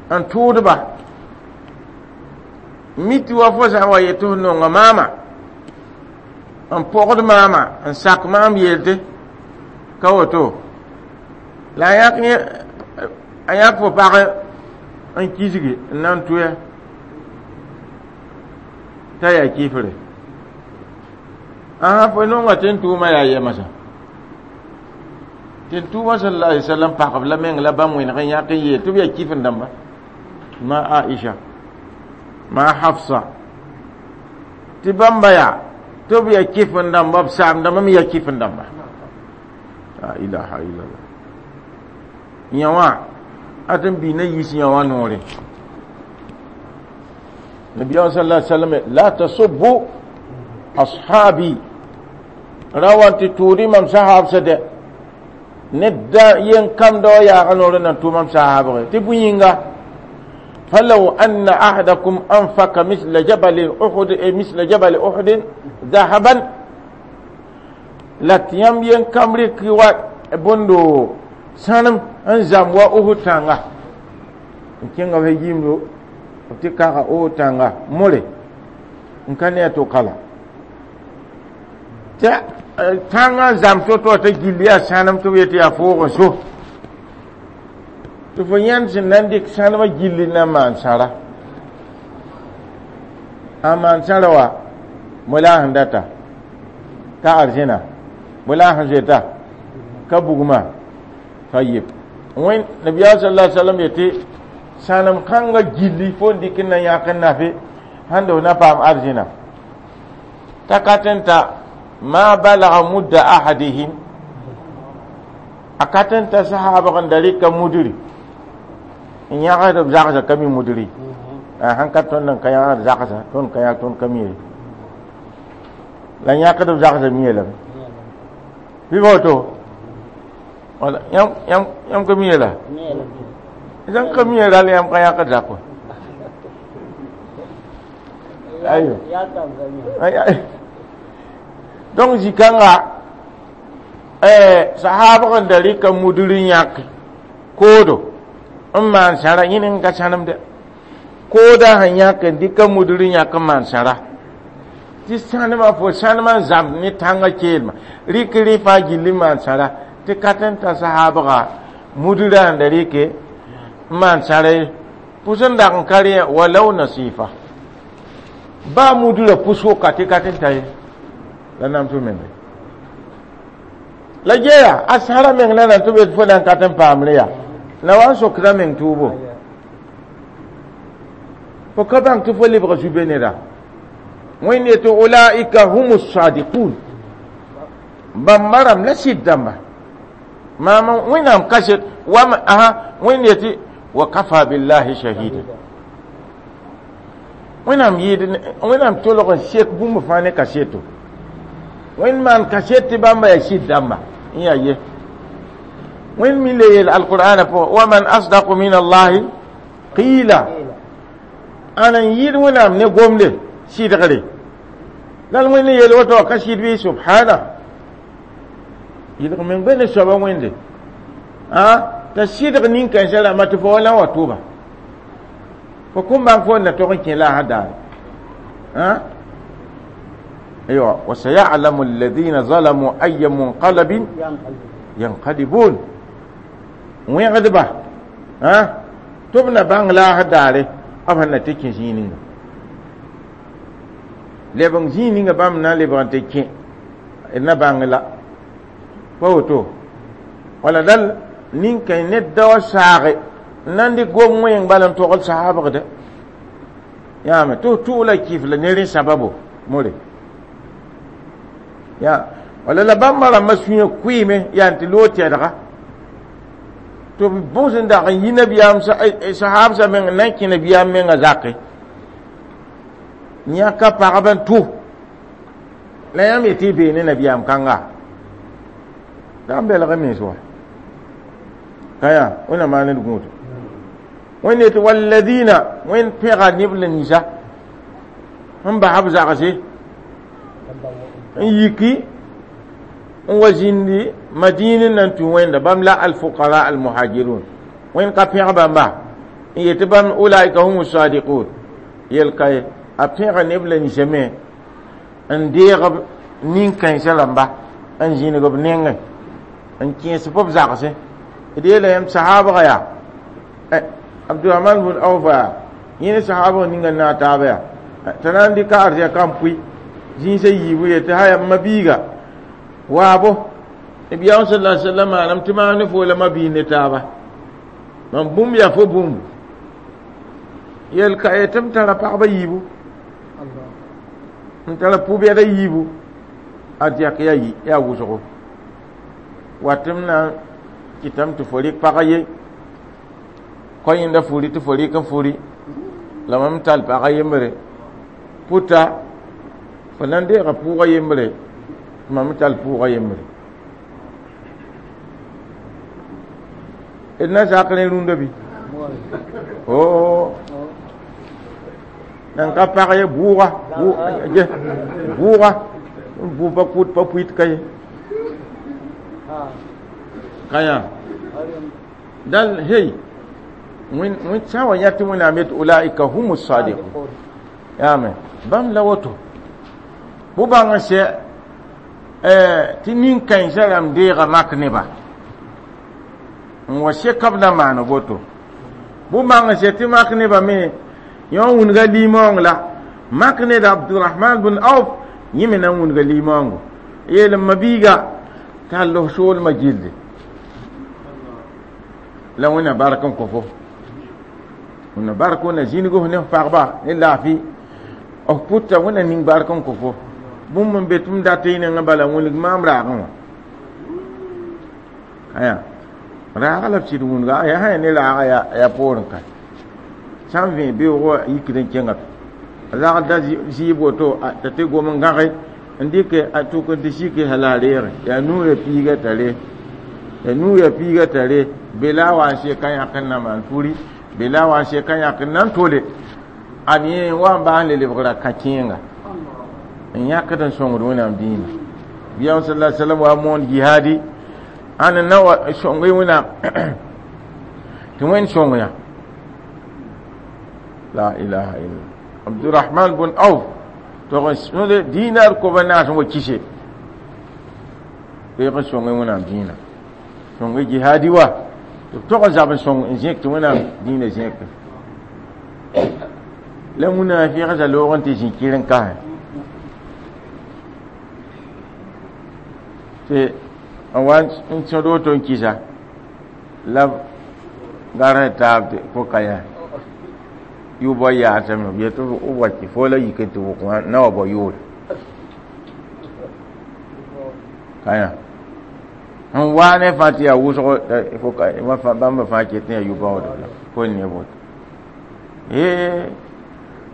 n tʋʋdba mi tɩ wa fo sã n wa yet tɩ f nonga maama n pɔgd maama n sak maam yelte ka woto la a yãk a yãk fo pag n kisgi n na n tʋya t'a yaa kifre ãsa fo nonga tɩ n tʋʋma yaa yɛmsã tɩ n tʋʋma sallallahu alaihi wasallam pagb la meng la bãmb wẽneg n yãk n yeel tɩ b yaa kif n dãmba ma Aisha ma Hafsa tɩ bãmba yaa tɩ b yaa kif n dãmba b saam dãmba me yaa kif n dãmba la ilaha illallah yã wã a tɩ n bii na yiis yã wã noore nabiyaam sallallahu alaihi wasallam la tasubbu ashabi ra wa tɩ tʋʋd mam sahabsã dɛ ned da yen kam da wa yaaga noor n na n tʋ mam sahabge tɩ bõe yĩnga فلو أن أحدكم أنفق مثل جبل أحد مثل جبل أحد ذهبا la tɩ yãmb yen kam rɩk wa bõndo sãnem n zãmb wa Uhud tãnga n kẽnga f yimdo b tɩ kaga Uhud tãnga more n ka ne a to kala tɩ tãngã n zãmb to-to t'a gill yaa sãnem tɩ b yetɩ yaa foog n so tɩ fo yãnd sẽn na n dɩk sãnemã gilli na n maan sãra a maan sãra wa mo la a sẽn data ka arzẽna mo la a sẽn zoeta ka bugma tayib wẽn nabiyaam sallallahu alaihi wasallam yetɩ sãnem kãngã gilli fo n dɩk n na yãk n nafe sãn da f na paam arzẽna t'a ka tɩ n ta ma balaga mudda ahadihim a ka tɩ n ta sahaabg n da rɩka mudri n yãgsd b zagsã ka mi mudri sãn ka tõnd n ka yãgd zagsã tõnd ka yãg tõnd ka mi ye la yãkd b zagsã mie lame bɩ ba woto wala yãmb ka mi la sãn ka mi rall yãmb ka yãkd zak wa ayo Donc zikãnga eh sahabã n da rɩka mudr n yãk koodo n maan sãra yẽne n ka sãnemde kooda sẽn yãk n dɩka mudr n yãk n maan sãra tɩ sãnemã fo sãnemã n zãmb ne tãngã keelmã rɩk rẽ fãa gill n maan sãra tɩ ka tɩ n ta sahabga mudrã n da rɩke n maan sãra ye pʋs n dag n ka rẽ walaw nasifa baa mudrã pʋs-woka tɩ ka tɩ n ta ye la namsg menge la geya a sãra meng la na tɩ b fo na n ka tɩ n paamre yaa la wa n sokda meng tʋʋbo fo ka bãng tɩ fo lebga zu-be neda wẽnd yetɩ ulaika hum sadiqun bãmba rãmb la sɩd dãmba maam wẽnnaam kaset wam aha wẽnd yetɩ wa kafa billahi shahida wẽnnaam yɩɩd wẽnnaam tolg n sek bũmb fãa ne kaseto wẽnd maan kaset tɩ bãmba yaa sɩd dãmba n yaa ye wẽnd mi le yeel alqur'ana pʋgẽ wa man asdaqu min allahi qila ana n yɩɩd wẽnnaam ne gomde sɩdgre la l wẽnd yeel woto ka sɩd bɩ subhana yɩlg meng be ne soaba wẽnde a t'a sɩdg nin-kãensã rãmbã tɩ fo wa la n wa tʋba fo kõn bãng fo na tog n kẽ la a daare أيوة وسيعلم الذين ظلموا أي منقلب ينقلبون وين غدبا ها تبنا بان لا هداري أبهنا تكين زينين لبن زينين بامنا لبن تكين إن بان لا فوتو ولا دل نين كاين ندوا ساغي ناندي قوم وين بالن توغل صحابة غدا يا ما تو تو لا كيف لا نيرين سببو موري ya wala la bãmba rãmbã sũyã kʋɩɩme yaa tɩ loog tɛdga tɩ b bʋs n dag n yi nabiyaam sahaabsã meng n na n kẽ nabiyaam mengã zake yãka pagb n tʋ la yãmb yetɩ y bee ne nabiyaam kãnga la n belg mens wa ka yaa wẽnna maan d gũudo wẽnd yetɩ walladina wẽnd pẽga neb la ninsã n bas b zagse n yiki n wa zĩndi madina nan tũ wẽnda bãmb la alfuqara almuhajirun wẽnd ka pẽg bãmba n yetɩ bãmb ulaika hum sadiqun yel ka ye a pẽga neb la ninsã me n deeg b nin-kãensã rãmba n zĩnig b nengẽ n kẽes b zagsẽ d yeela yãmb sahaabga yaa abdurahman bun aufa yaa yẽ ne sahaabg ninga n naag taaba yaa t'a na n dɩka arzɛka n pʋɩ zĩisã yiibu yetɩ haya mabiiga waabo nabiyaam sala alai sallam maanam tɩ maam ne fo la mabiig ne taaba mam bũmb yaa fo bũmbu yel ka ye tɩ m tara pagba yiibu n tara pʋ-bɛda yiibu a zɛk yaa yaa wʋsgo wat m na n kɩtame tɩ fo rɩk pagã ye kõ yẽnda furi tɩ fo rɩk n furi la mam tall pagã yembre pʋta fo na n deega pʋʋgã yembre tɩ mam tall pʋʋgã yembre d na zak rẽ rũndã bɩ o nan ka pag ye bʋʋga bʋʋga bʋ pa kʋt pa pʋɩt ka ye ka yã dal hey wẽnd sã n wa yã tɩ wẽnnaam yet ulaika hum sadiqun yaame bãmb la woto bʋ bãng n sɛ tɩ nin-kãensã rãmb deega mak neba n wa seka b na maan woto bʋ bãng n sɛ tɩ mak nebã me yõ n wũnga limaoong la mak ned abdurahman bn auf yẽ me na n wũnga limaoongo yeel n mabiiga t'a los soolmã gilde la wẽnna bark n kõ fo wẽnna bark wẽnna zĩnig f ne f pagba ne laafɩ f pʋta wẽnna ning bark n kõ fo bũmb n be tɩ m dat y nengã bala wĩneg maam raagẽ wã aya raaga la b sɩd wũnga yaa sã ya ne raaga yaa poorẽ ka sã n vẽ beoogã yikd n kẽnga rag da zɩɩb woto t'a tɩ gom n gãge n dɩke a tʋk n tɩ sike hala a reege yaa nuurã piiga t'a re yaa nuurã piiga t'a re bela wa n seka yãk n na maan furi bela wa n seka yãk n na n tole ad yẽ wa n baas n le lebgra kã-kẽenga n yãkd n sõngd wẽnnaam dĩinã Biyaam sallallahu alaihi wasallam wa moon jihadi ãn n na wa sõng wẽnnaam tɩ wẽnd sõng yã la ilaha illa Abdurrahman bun Auf tog n dinar kob a naas n wa kise reeg n sõng wẽnnaam dĩinã sõng jihadi wa tɩ b tog n zab n sõng n zẽk tɩ wẽnnaam dĩinã zẽke la munafiq za loog n tɩ zĩ kɩr n kasẽ tɩ n wa n sõd woto n kɩsa la b garẽ taab tɩ fo ka yaa yʋ bao yaasame b yetɩ b wa kɩ fo la yik n tɩ wʋk wã na wa bao yʋʋre ka yã n waa ne fãa tɩ yaa wʋsgo fo ka bãmba fãa ket tɩ yaa yʋ-baoodb la fo n ne woto ee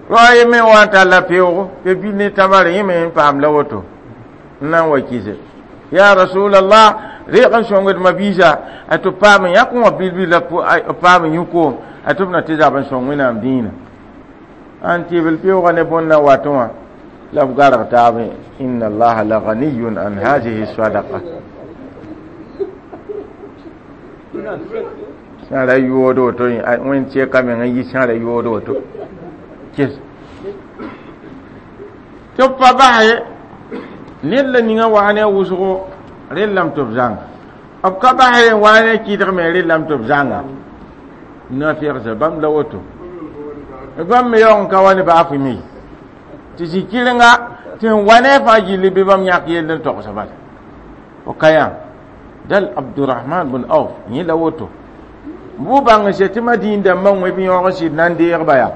rao ye me wa n talla peoogo pe-bil ne tamare yẽ me n paam la woto n na n wa kɩse ya rasulallah reeg n sõngd mabiisa a tɩ paam n yãk wã bil-bil la paam n yũ koom a tɩ b na tɩ zab n sõng wẽnnaam dĩinã an tɩbl peoogã ne bõn na watẽ wã la b garg taab inna allaha la ganiyun an hadihi sadaqa sãra yood woto wẽnd sɛka meng n yi sãra yood woto kes tɩ b pa bas ned la ninga waa ne a wʋsgo rellame tɩ b zãnga b ka bas n waa ne a kɩdg me rellame tɩ b zãnga na-fegsa bãmb la woto bãmb me yaoog n ka wa ne baafɩ me tɩ zĩ kɩrenga tɩ sẽn wa ne a fãa gilli bɩ bãmb yãk yell n togsa bala fo ka yã dal Abdurrahman bun Auf yẽ la woto bʋ bãng n tɩ madiin dãmbã wẽ b yõog n sɩd na n deegba yaa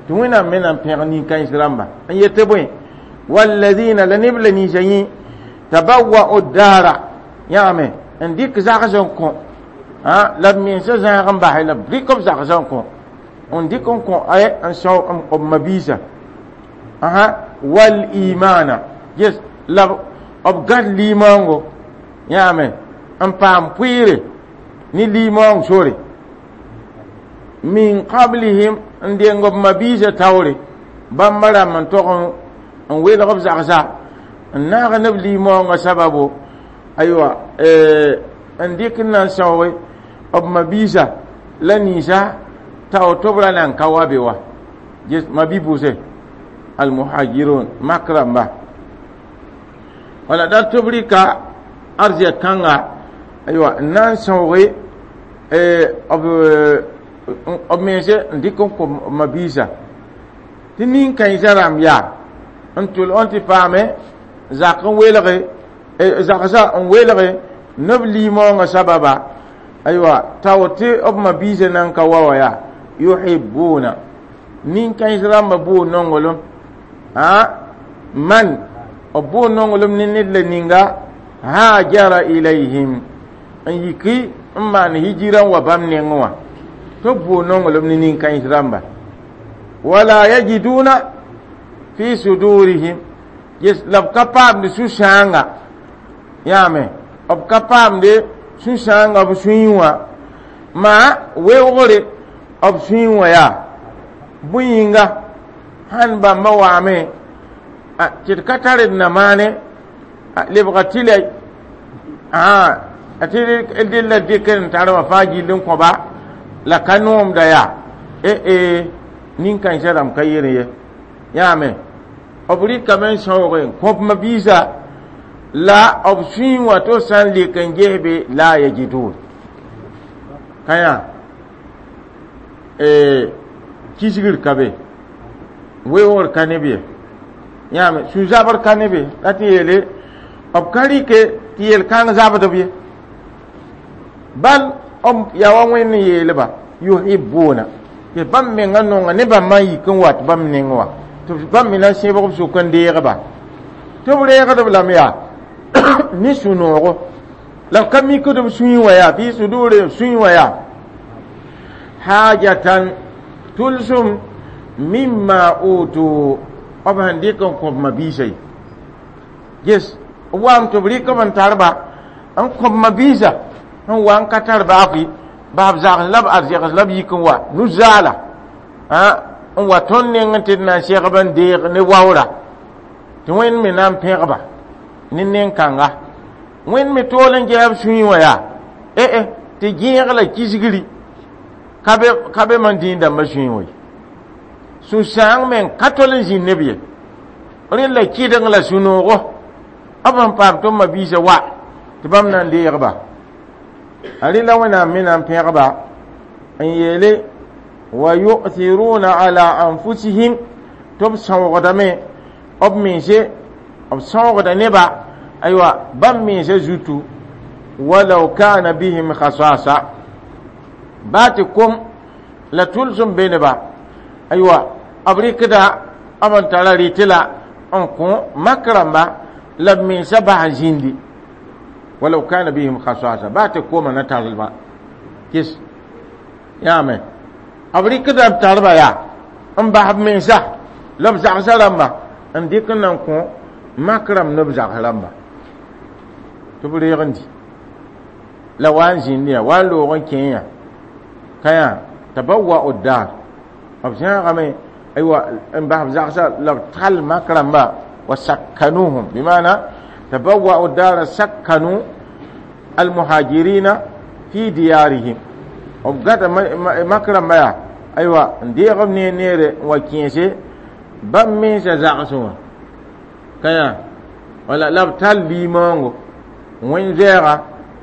tɩ wẽnnaam me na n pẽg nin-kãens rãmba n yetɩ bõe walladina la neb la ninsã yẽ tabawwa'u daara yãame n dɩk zags n kõ la b mensã zãag n basɛ la b dɩk b zags n kõ n dɩk n kõ n sao b mabiisã wal imana yes la b gãd limaoongo yãame n paam pʋɩɩre ne limaoong sore min qablihim n deng b mabiisã taoore bãmba rãmb n tog n welg b zagsa n naag ne b limaoongã sababo aywa n dɩk n na n sãooge b mabiisã la ninsã tao tɩ b ra na n ka wa be wa mabi-pʋse almuhajirun mak rãmba wala da tɩ b rɩka arzɛk kãnga aywa n na n sãooge b mense n dɩk n kõ mabiisã tɩ nin-kãensã rãmb yaa n tʋl n tɩ paame zak n welge zagsã n welge neb limaoongã sababa aywa tao tɩ b mabiisã nan ka wa wa yaa yuhibbuna nin-kãens rãmbã bʋʋ nonglem a man b bʋʋ nonglem ne ned la ninga hajara ilayhim n yiki n maan hijira n wa bãmb nengẽ wã tɩ b bʋʋ nonglem ne nin-kãens rãmba wala yajiduna fi sudurihim yes la b ka paamd sũ-sãanga yãame b ka paamde sũ-sãanga b sũyẽ wã maa weoogre b sũyẽ wã yaa bõe yĩnga sãn bãmba waame tɩ d ka tar d na maane lebga tɩ la tɩ d la dɩk n tar wã fãa gill n kõba la ka noomda yaa e nin-kãensã rãmb ka yel ye yãame b rɩkame n sãooge n kõp mabiisã la b sũyẽ wã tɩ b sã n lek n ges be la yajidun ka yã kisgr ka be weoogr ka ne b ye yãame sũ-zabr ka ne be la tɩ yeele b ka rɩke tɩ yel-kãng zabd b ye bal b yaa wa wẽnd n yeelba yuhibbuna tɩ bãmb menga nonga ne bãmba n yik n wat bãmb neng wã tɩ bãmb me na n sẽbg b sʋk n deegba tɩ b reegdb lame yaa ne sũ-noogo la b ka mikd b sũyẽ wã yaa fi suduri sũyẽ wã yaa hajatan tʋlsem mimma utu b sẽn dɩk n kõb mabiisã ye ges b waam tɩ b rɩk b n tar-ba n kõb mabiisã n wa n ka tar baafɩ baab zags la b arzegs la b yik n wa nu-zaala n wa tõnd neng tɩ d na n segb n deeg ne waoora tɩ wẽnd me na n pẽgba ne nen-kãnga wẽnd me tool n gɛɛb sũyẽ wã yaa eh tɩ gẽeg la kisgri ka be ka be man dĩin dãmbã sũyẽ wã ye sũ-sãang me n ka tol n zĩnd neb ye rẽ la kɩdeng la sũ-noogo b sẽn paam tɩ b mabiisã wa tɩ bãmb na n deegba a rẽ la wẽnnaam me na n pẽgba n yeele wa yu'thiruna ala anfusihim tɩ b sãoogdame b mense b sãoogda neba aywa bãmb mensã zutu walau kana bihim khasasa baa tɩ kom la tʋlsem be neba aywa b rɩkda b n tara rɩtɩ la n kõ mak rãmba la b mensã bas n zĩndi walau kana bihim khasasa baa tɩ koma na tarlba kɩs yaame b rɩkda b tarba yaa n bas b mensa la b zagsã rãmba n dɩk n na n kõ mak rãmb ne b zags rãmba tɩ b reeg n di la wa n zĩnd yã wa n loog n kẽ yã ka yã tabawwa'u dar b zãagame aywa n bas b zagsã la b tall mak rãmba wa sakkanuhum bimana tabawwa'u dara sakkanu almuhajirina fi diyarihim b gata mak rãmba yaa aywa n deeg b ne neere n wa kẽese bãmb mensã zagsẽ wã ka yã wala la b tall limaoongo wẽn zɛɛga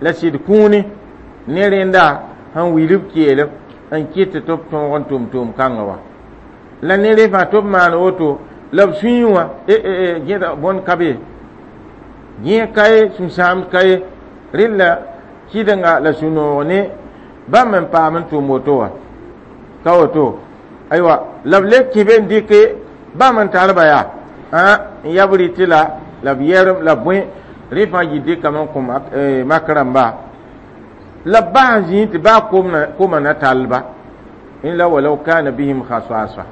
la sɩd kũuni ne rẽnda sẽn wilb keelem n kɩt tɩ b tõog n tʋm tʋʋm kãngã wa la ne rẽ fãa tɩ b maan woto la b sũyẽ wã gẽda bõn ka be gẽeg ka ye sũ-sãamd ka ye rẽlla kɩdenga la sũ-noog ne bãmb n paam n tʋm woto wã ka woto aywa la b le kɩ be n dɩke bãmb n tarba yaa n yab rɩtɩ la la b yɛrem la bõe rẽ fãa yɩ dɩkame n kõ mak rãmba la b bas n zĩig tɩ baa koma na tallba illa walau kana bihim khasasa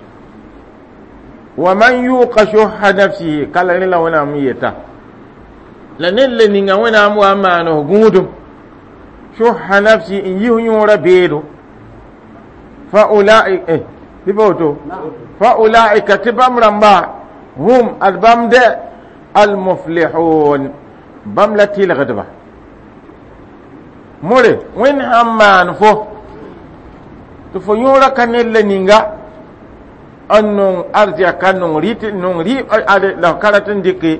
wa man yuqa shuhha nafsihi kala rẽ la wẽnnaam n yeta la ned le ninga wẽnnaam wa n maan f gũudum shuhha nafsi n yis yõorã beedo fa ulaika eh tɩ pa woto fa ulaika tɩ bãmb rãmba hum ad bãmb dɛ almuflihun bãmb la tɩlgdba more wẽnd sãn maan fo tɩ fo yõorã ka ned la ninga n nong arzɛk ka nong rɩt nong rɩ ade la f ka rat n dɩke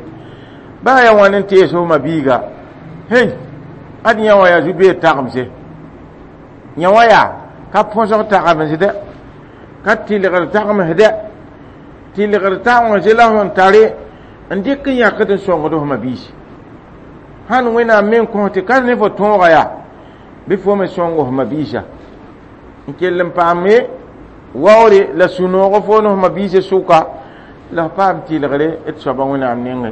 baa yaa wãn n tees f mabiiga hey ad yã wã yaa zu-beed tagemse yã wã yaa ka põsg tagemsdɛ ka tɩlgd tagemsdɛ tɩlgd tagemsd la sẽn tare n dɩk n yãkd n sõngd f mabiisi sãn wẽnnaam me n kõ tɩ ka ne fo tõoga yaa bɩ fo me sõng f mabiisa n kell n paame waoore la sũ-noog fo ne f mabiisã sʋka la f paam tɩlgre d soaba wẽnnaam nengẽ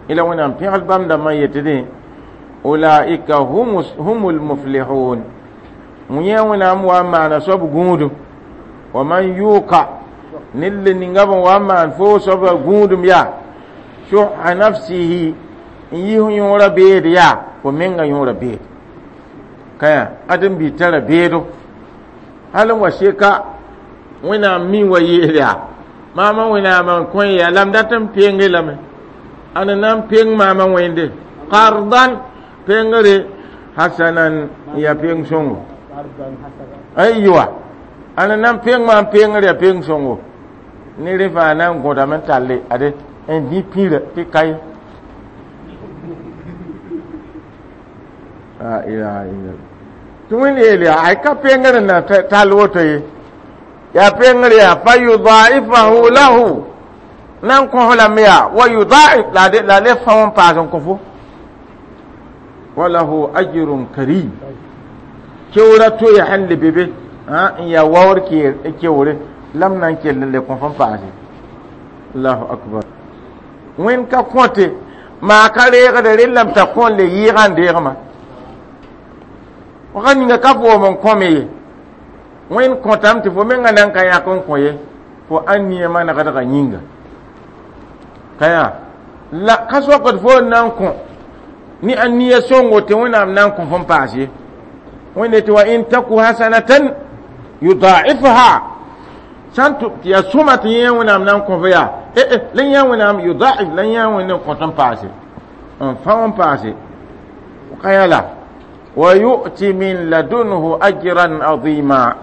ila wẽnnaam pẽgd bãmb dãmbã n yetdẽ ulaika humul muflihun yẽ wẽnnaam wa n maana soab gũudum wa man yuka ned le ninga b n wa n maan fo soaba gũudum yaa shuha nafsihi n yis yõorã beed yaa fo menga yõorã beed ka yã ad n bɩ tara beedo hal n wa seka wẽnnaam mi wa yeel yaa maamã wẽnnaam n kõ yaa la m dat n penge lame ãn na n peng maamã wẽnde qardan pengre hasanan ya peng sõngo aywa ãn na n peng maam pengr ya peng sõngo ne rẽ fãa na n gõdame n talle ade n dĩ pĩrã tɩ ka ye la ilaha illallah tɩ wẽnd yeel yaa ay ka pengr n na tall woto ye yaa pengr yaa fa yudaifahu lahu na n kõs lame yaa wa yudaif la la le fão n paas n kõ fo walahu ajrun karim kewra to ya sẽn le be be n yaa waoor kewre la m na n kell n le kõ fo n paase allahu akbar wẽnd ka kõte maa ka reegde rellame t'a kõ n le yɩɩgã n deegmã waka ninga ka foom n kõme ye wẽnd kõtame tɩ fo menga na n ka yãk n kõ ye fo ãn nia manegdgã yĩnga ka yaa la ka soakd fo n na n kõ ne a nia sõngo tɩ wẽnnaam na n kõ fo n paas ye wẽnde tɩ wa in taku hasanatan yudaifha sãn tɩ yaa sõma tɩ yẽ wẽnnaam na n kõ fo yaa eh eh la yã wẽnnaam yudaif la yã wẽnd n kõt n paase N fãa n paase ka la wa yu'ti min ladunhu ajran azima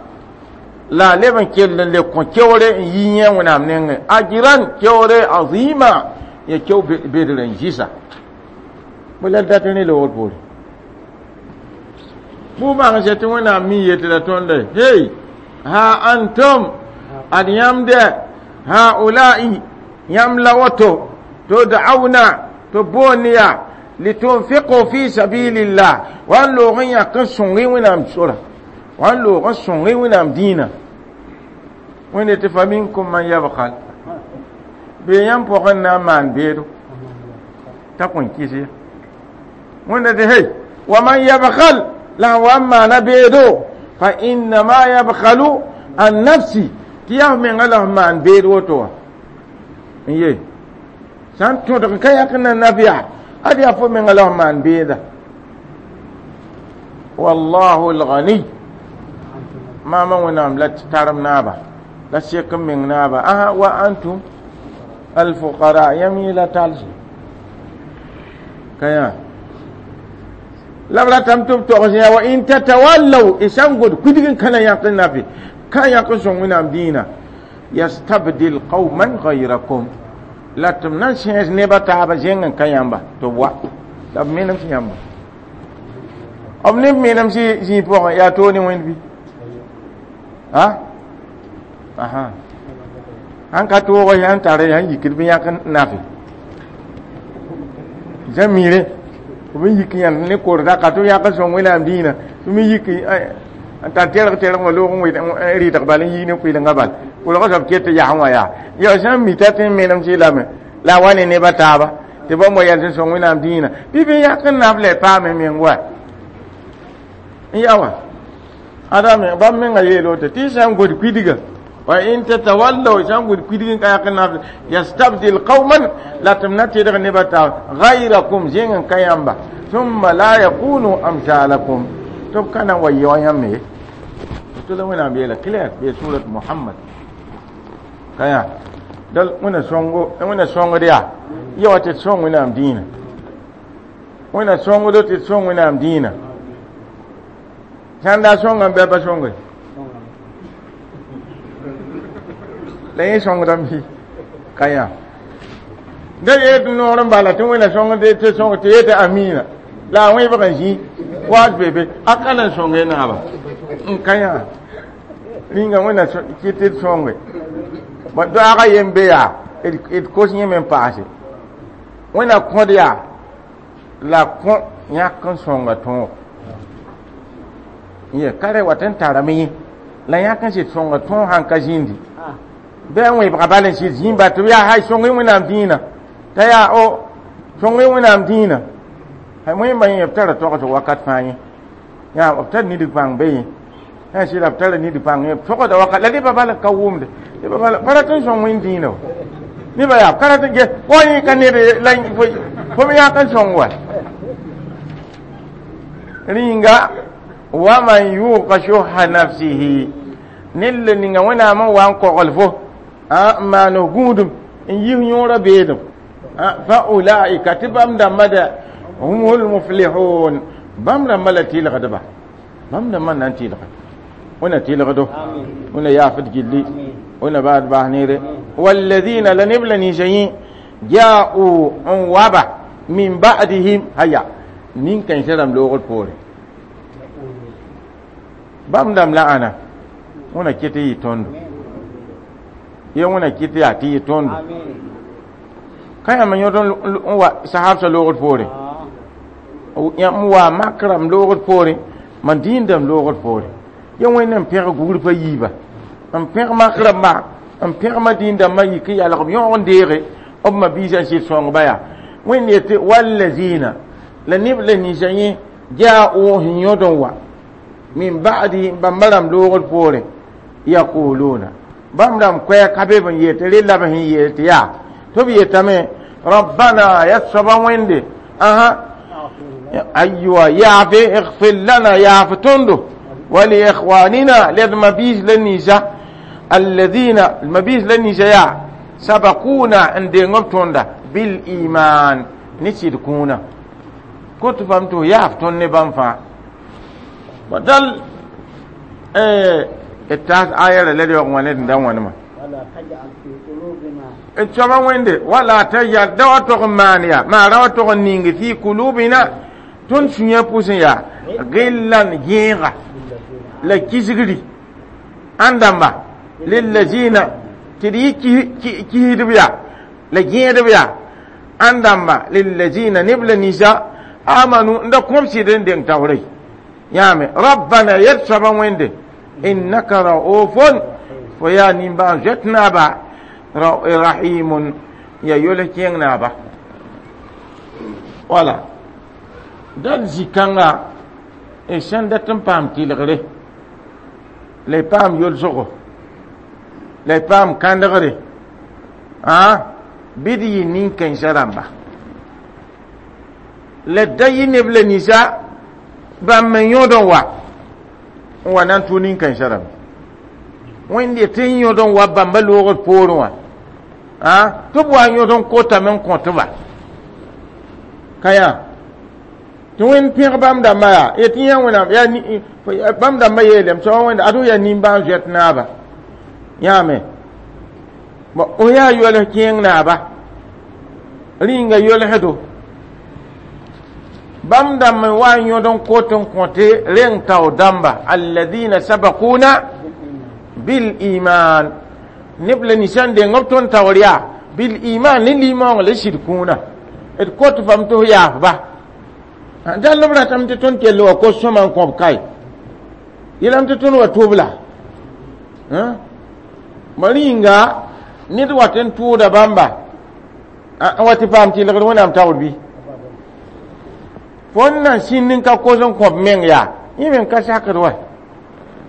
la leb n kell n le kõ keoore n yi yẽ Wẽnnaam nengẽ ajran keoore azima ya keo bedr n zɩsa bõe la d dat ne loogr poore bʋ bãng sɛ tɩ Wẽnnaam mi yetɩ la tõnda hey ha antum ad yãmb dɛ haulai yãmb la woto tud'auna to boond yaa litunfiqu fi sabilillah wa n loog n yãk n sõng Wẽnnaam sora wa n loog n sõng Wẽnnaam dĩinã Wẽnde tɩ fa minkum man yabkhal bee yãmb pʋgẽ n na n maan beedo t'a kõn kɩs ye Wẽnda tɩ hey wa man yabkhal la n wa n maana beedo fa innama yabkhalu an nafsi tɩ yaa f menga la f maan beed woto wã n ye sã n tõdg n ka yãk n na naf yaa ad yaa fo menga la f maan beeda wallahu lghani maama Wẽnnaam la tarem naaba la sek n meng naaba asa wa antum alfuqara yãmb yẽ la talse ka yã la b ratame tɩ b togs yã wa in tatawallaw y sã n gõd kudg n kãna yãk n nafe ka yãk n sõng Wẽnnaam dĩinã yastabdil qawman gayrakum la tɩ b na n sẽes neb a taaba zẽng n ka yãmba tɩ b wa la b menem sẽn yãmba b neb menem zĩig pʋgẽ yaa toog ne Wẽnd bɩ a aha sãn ka toog sãn tare sãn yikd bɩ yãk n nafe sã mire b n yik yãnd ne korda ka tɩ b yãk n sõng Wẽnnaam dĩinã tɩ me yik n tar tɛrg tɛrg wã loog n rɩdg bal n yik ne kʋɩlenga bal kolg soab ket tɩ yas wã yaa ya sã n mita tɩ n menem sɩlame la a wa ne neb a taaba tɩ bãmb wa yɛl tɩ sõng Wẽnnaam dĩinã bɩ bɩ yãk n naf la paame meng wa n ya wa ada me bãmb menga yeel woto tɩ sã n gõd kuidga wa in tatawallaw sã n gõd kuidg n ka yãk n naf yastabdil qawman la tɩ b na tedg neb a taaba gayrakum zẽng n ka yãmba thumma la yakunu amsalakum tɩ b ka na n wa yɩ wa yãmb ye tɩ la Wẽnnaam yeela clair be surat Muhammad ka yã dal Wẽnna sõngo Wẽnna sõngd yaa ya wa tɩ d sõng Wẽnnaam dĩinã Wẽnna sõngdo tɩ d sõng Wẽnnaam dĩinã sãn daa sõngame bɩ a pa sõnge la yẽ sõngdame bɩ ka yã da yet noor n bala tɩ Wẽnna sõngd tɩ sõng tɩ yetɩ amina la a wẽbg n zĩ waat be be a ka na n sõnge naaba n ka yã rĩnga Wẽnna kɩt tɩ d sõnge doaagã yen be yaa d kos yẽme n paase Wẽnna kõd yaa la kõ yãk n sõnga tõog ye ka rɛ wat n tarame yẽ la yãk n sɩd sõnga tõog sãn ka zĩndi bɩ a wẽbga bal n sɩd zĩmba tɩ b yaa hay sõng Wẽnnaam dĩinã t'a yaa o sõng Wẽnnaam dĩinã wẽmba yẽ b tara togsg wakat fãa yẽ yaa b tar nidg pãng be yẽ sã sɩda b tara nidg pãng yẽ b togda wakat la nebã bal n ka wʋmde nebã bal pa rat n sõng Wẽnd dĩinã wa nebã yaa ka rat n ges fo yẽ ka ned la fo me yãk n sõng wa rĩnga wa man yuqa shuhha nafsihi ned la ninga Wẽnnaam n wa n kogl fo n maan f gũudum n yis yõorã beedem fa ulaika tɩ bãmb dãmba dɛ humul muflihun bãmb rãmbã la tɩlgdba bãmb dãmbã na n tɩlga Wẽnna tɩlgdo Wẽnna yaafd gilli Wẽnna baad baas neere walladina la neb la ninsã yẽ ja'u n waba min ba'dihim haya nin-kãensã rãmb loogr poore bãmb dãmb la ãna Wẽnna ket n yɩ tõndo ye Wẽnna kɩt yaa tɩ yɩ tõndo ka yãmb yõd n wa sahabsã loogr poore yãmb wa mak rãmb loogr poore mam dĩindame loogr poore ye Wẽnd n pẽg gugr pa yiiba n pẽg mak rãmba n pẽg ma dĩin-dãmbã yik n yalg b yõog n deege b ma-biisã n sɩd sõngba yaa Wẽnd yetɩ wallazina la neb la ninsã yẽ ja'u sẽn yõd n wa min ba'di bãmba rãmb loogr poore yaquluna bãmb rãmb koɛɛg ka be b n yeel tɩ rella b sẽn yeel tɩ yaa tɩ b yetame rabbana ya soaba Wẽnde ãsã aywa yaafe igfir lana yaaf tõndo ولإخواننا لد مبيز لنيسا الذين المبيز لنيسا يا سبقونا عند نبتوندا بالإيمان Ne sɩd kũuna kot fam tɩ f yaaf tõnd ne bãmb fãa dal d taas aya ra la d yaoog wã ne d da wãnema d soaba wẽnde wala tajal da wa tog n maan yaa maa ra wa tog n ning fi kulubina tõnd sũyã pʋsẽ yaa gillan gẽega la kisgri ãn dãmba lillazina tɩ d yɩ kisdb yaa la gẽedb yaa ãn dãmba lillazina neb la ninsa amanu n da kõb sɩd n deng taoore yãame rabbana yɛd soaba wẽnde innaka raufun fo yaa nimbãan zoet naaba rahimun ya yol kẽeng naaba wala dal zĩ-kãnga d sẽn dat n paam tɩlgre la y paam yolsgo la y paam kãndgre bɩ d yɩ nin-kãensã rãmba la da yɩ neb la ninsa bãmb n yõod n wa n wa na n tʋ nin-kãensã rãmba wẽnd tɩ n yõod n wa bãmba loogd poorẽ wã tɩ b wa n yõod n kotame n kõtba ka yaa tɩ wẽnd pẽg bãmb dãmbã yaa yetɩ yã wẽnnaam yaa bãmb dãmbã yeelame soaba wẽnda ad yaa nimbãan zoɛt naaba yãame o yaa yols kẽeng naaba rĩnga yolsdo bãmb dãmb n wa n yõd n kot n kõte reng tao dãmba alladina sabakuna bil iman neb la ninsã n deng b tõnd taoor yaa bil iman ne limaoong la sɩd kũuna d kot fam tɩ f yaafba dall b ratame tɩ tõnd kell wa kos sõma n kõb kae yeelame tɩ tõnd wa tʋbla ma rĩnga ned wat n tʋʋda bãmba n wa tɩ paam tɩlgd wẽnnaam taoor bɩ fõn nan sĩnd n ka kos n kõb meng yaa yẽ me n ka sakd wa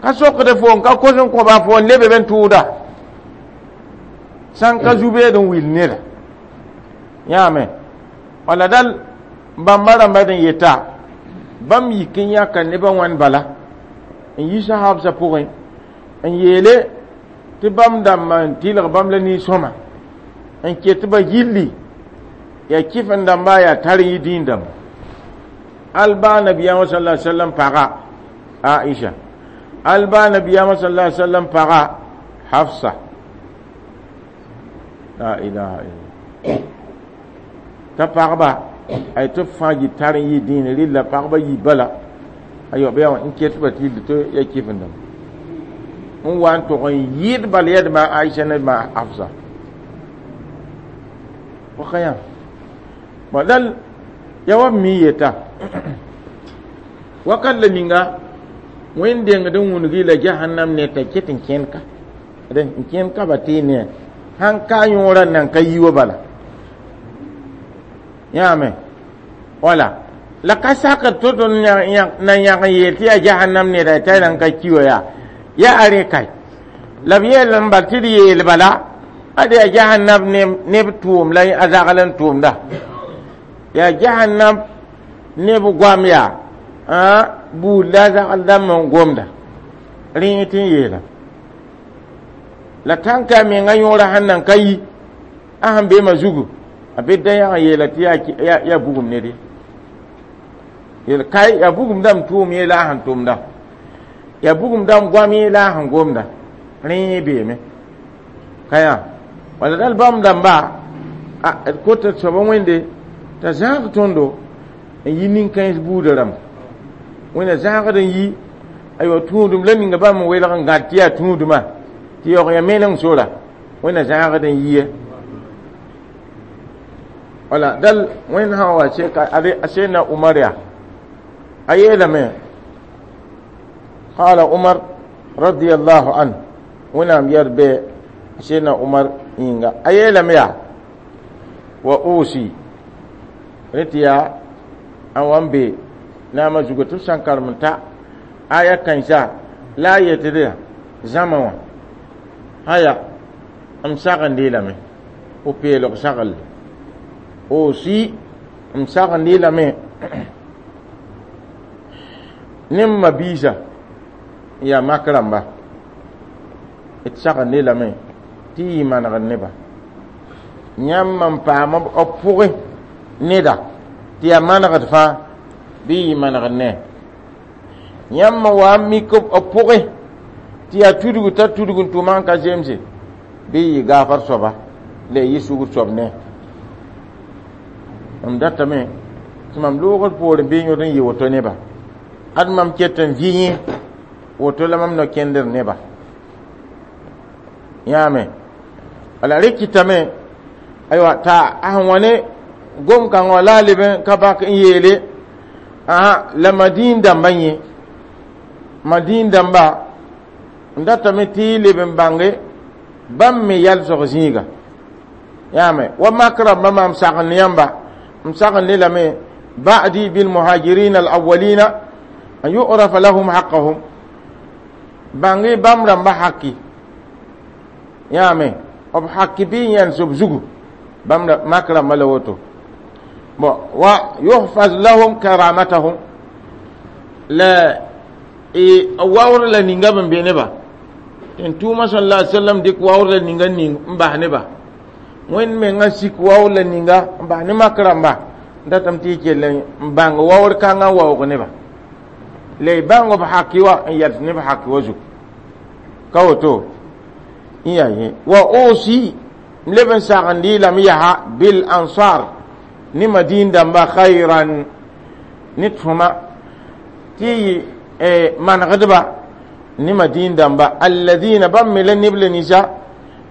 ka sokd fo n ka kos n kõba fo n lebe n tʋʋda sãn ka zu-beed n wil neda yãame wala dal bãmba rãmba d n yeta bãmb yik n yãka nebã wãn bala n yi sahabsã pʋgẽ n yeele tɩ bãmb dãmba n tɩlg bãmb la nin-sõma n ket ba gilli yaa kɩf n dãmba yaa tar n yɩ dĩin dãmba alba nabiyaamã sala sallam paga Aisha alba nabiyaamã sala sallam paga Hafsa la ilaha illa t'a pagba ay tɩ fãa yɩ tar n yɩ dĩin rɩlla pagba yi bala ayo bɩ yaa n ket ba tɩ tɩ ya kɩf n dãmba n wa n tog n yɩɩd bal yɛdma Aisha ne ma Hafsa waka yã dal ya wa mi yeta wakat la ninga wẽnd dengd n wũngi la jahannam ne t'a ket n kẽnd ka n kẽnd ka ba tɩ ne sãn ka yõorã nan ka yi wa bala yãame wala la ka sakr to-to na yãg n yeel tɩ yaa jahannam neda t'a nan ka ki wa yaa yaa a rẽ kae la b yeel n bal tɩ d yeel bala ad yaa jahannam neb tʋʋm la a zagl n tʋʋmda yaa jahannam neb goam yaa buud la a zagl dãmb n gomda rẽ tɩ n yeela la tãnka a menga yõora sẽn nan ka yi a sẽn beemã zugu a be da yãg n yeela tɩ yaa bugum ned ye yel kai yaa bugum dãmb tʋʋm yee la a sẽn tʋmda yaa bugum dãmb goam yee la a sẽn gomda rẽ beeme ka yaa wala dal bãmb dãmba d kota soaba wẽnde t'a zãag tõndo n yi nin-kãens buudã rãmba wẽnna zãagd n yi aywa tũudum la ninga bãmb n welg n gãd tɩ yaa tũudmã tɩ yaoog ya meneng sora wẽnna zãagd n yie wala dal wẽnd sã wa seka a sena Umar yaa a yeelame qala Umar radiyallahu anhu wẽnnaam yɛr bɩ sena Umar yĩnga a yeelame yaa wa usi rẽ tɩ yaa a wa n be naamã zugu tɩ b sã n karem n ta aya kãensa la a yetd zãma wã haya m sagende lame o peelg sagl osi m sagende lame ne m mabiisa n yaa mak rãmba d sagende lame tɩ yɩ manegd neba yãmb n paam b pʋgẽ Neda tɩ yaa manegd fãa bɩ yɩ manegd ne yãmb wa n mik b pʋgẽ tɩ yaa tudg t'a tudg n tʋma n ka zemse bɩ yɩ gaafar soaba la y yɩ sugr soab ne mam datame tɩ mam loogd poorẽ bɩ yõd n yɩ woto neba ad mam ket n vɩ yẽ woto la mam no-kẽndr neba yãame wala rẽ kɩtame aywa t'a a sẽn wa ne gom-kãngã la a leb n ka bak n yeele aa la madiin dãmbã yẽ madiin dãmba n datame tɩ y leb n bãnge bãmb me yalsg zĩiga yãame wa mak rãmbã maam sagend ne yãmba m sagend ne lame ba'di bilmuhajirin alawalina an yu'rafa lahum haqqahum bãng bãmb rãmba haki yãame b haki bɩ yẽls b zugu bãmb mak rãmbã la woto bon wa yuhfaz lahum karamatahum la waoor la ninga b n be neba tɩ tʋʋma sal la sallam dɩk waoor la ninga ning n bas neba wẽnd mengã sik waoor la ninga n bas ne mak rãmba n datame tɩ y kell n bãng waoor kãngã n waoog neba la y bãng b haki wa n yals neb haki wa zugu ka woto n yaa yẽ wa osi n leb n sagend y lame yaa bil ansar ne madin dãmba khayran ne tõma tɩ y manegdba ne madin dãmba alladina bãmb me la neb la ninsã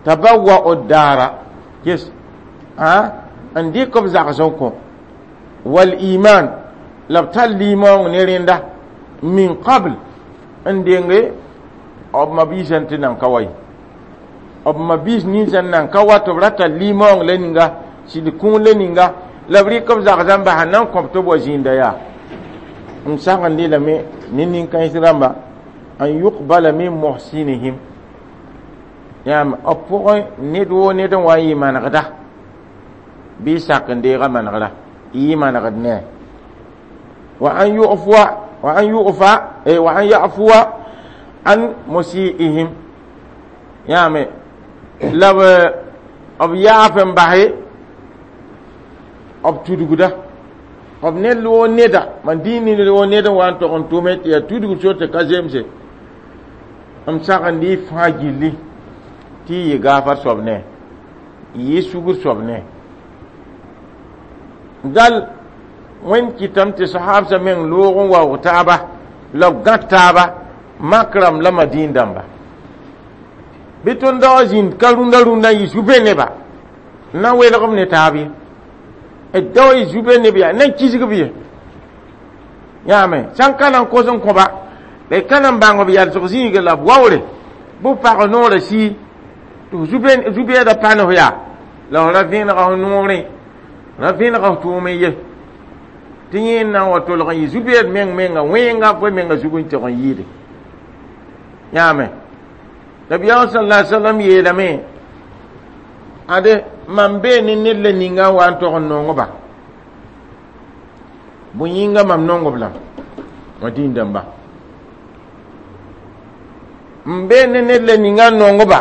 tabawwa'u daara ges n dɩk b zags n kõ wal iman la b tar limaoong ne rẽnda min qabl n denge b mabiisã tɩ nan ka wa ye b mabiis ninsã n nan ka wa tɩ b ra tar limaoong la ninga sɩd kũun la ninga la b rɩk b zagsã n bas n na n kõb tɩ b wa zĩnda yaa m sagendɩ lame ne nin-kãens rãmba an yuqbala min muhsinihim yãam b pʋgẽ ned woo ned n wa n yɩ manegda bɩ sak n deega manegra y yɩ manegd ne wa an yu'fuwa wa an yu'fa wa an ya'fuwa an musi'ihim yãame la b yaaf n base b tudgda b ned woo neda mam dĩig ned woo ned n wa n tog n tʋme tɩ yaa tudg so tɩ ka zemse m sagend y fãa gilli tɩ y yɩ gaafar soab ne y yɩ sugr soab ne dal wẽnd kɩtame tɩ sahaabsã meng loog n waoog taaba la b gãd taaba mak rãmb la madiin dãmba bɩ tõnd da wa zĩnd ka rũndã rũndã n yɩ zu-be neba n na n welg b ne taab ye d da wa yɩ zu-be neb yaa na n kisg b ye yãame sã n ka na n kos n kõba la y ka na n bãng b yalsg zĩiga la b waoore bɩ pag noorã sii tɩ zu-beedã pa ne f yaa la f ra vẽenega f noorẽ ra vẽenega f tʋʋm ye tɩ yẽ n na n wa tolg n yɩ zu-beed meng menga wẽnga fo menga zug n tɩg n yɩɩde yãame nabiyaam sal la sallam yeelame ade mam bee ne ned la ninga n wa n tog n nong-ba bõe yĩnga mam nong b lame wã dĩin dãmba m bee ne ned la ninga n nong-ba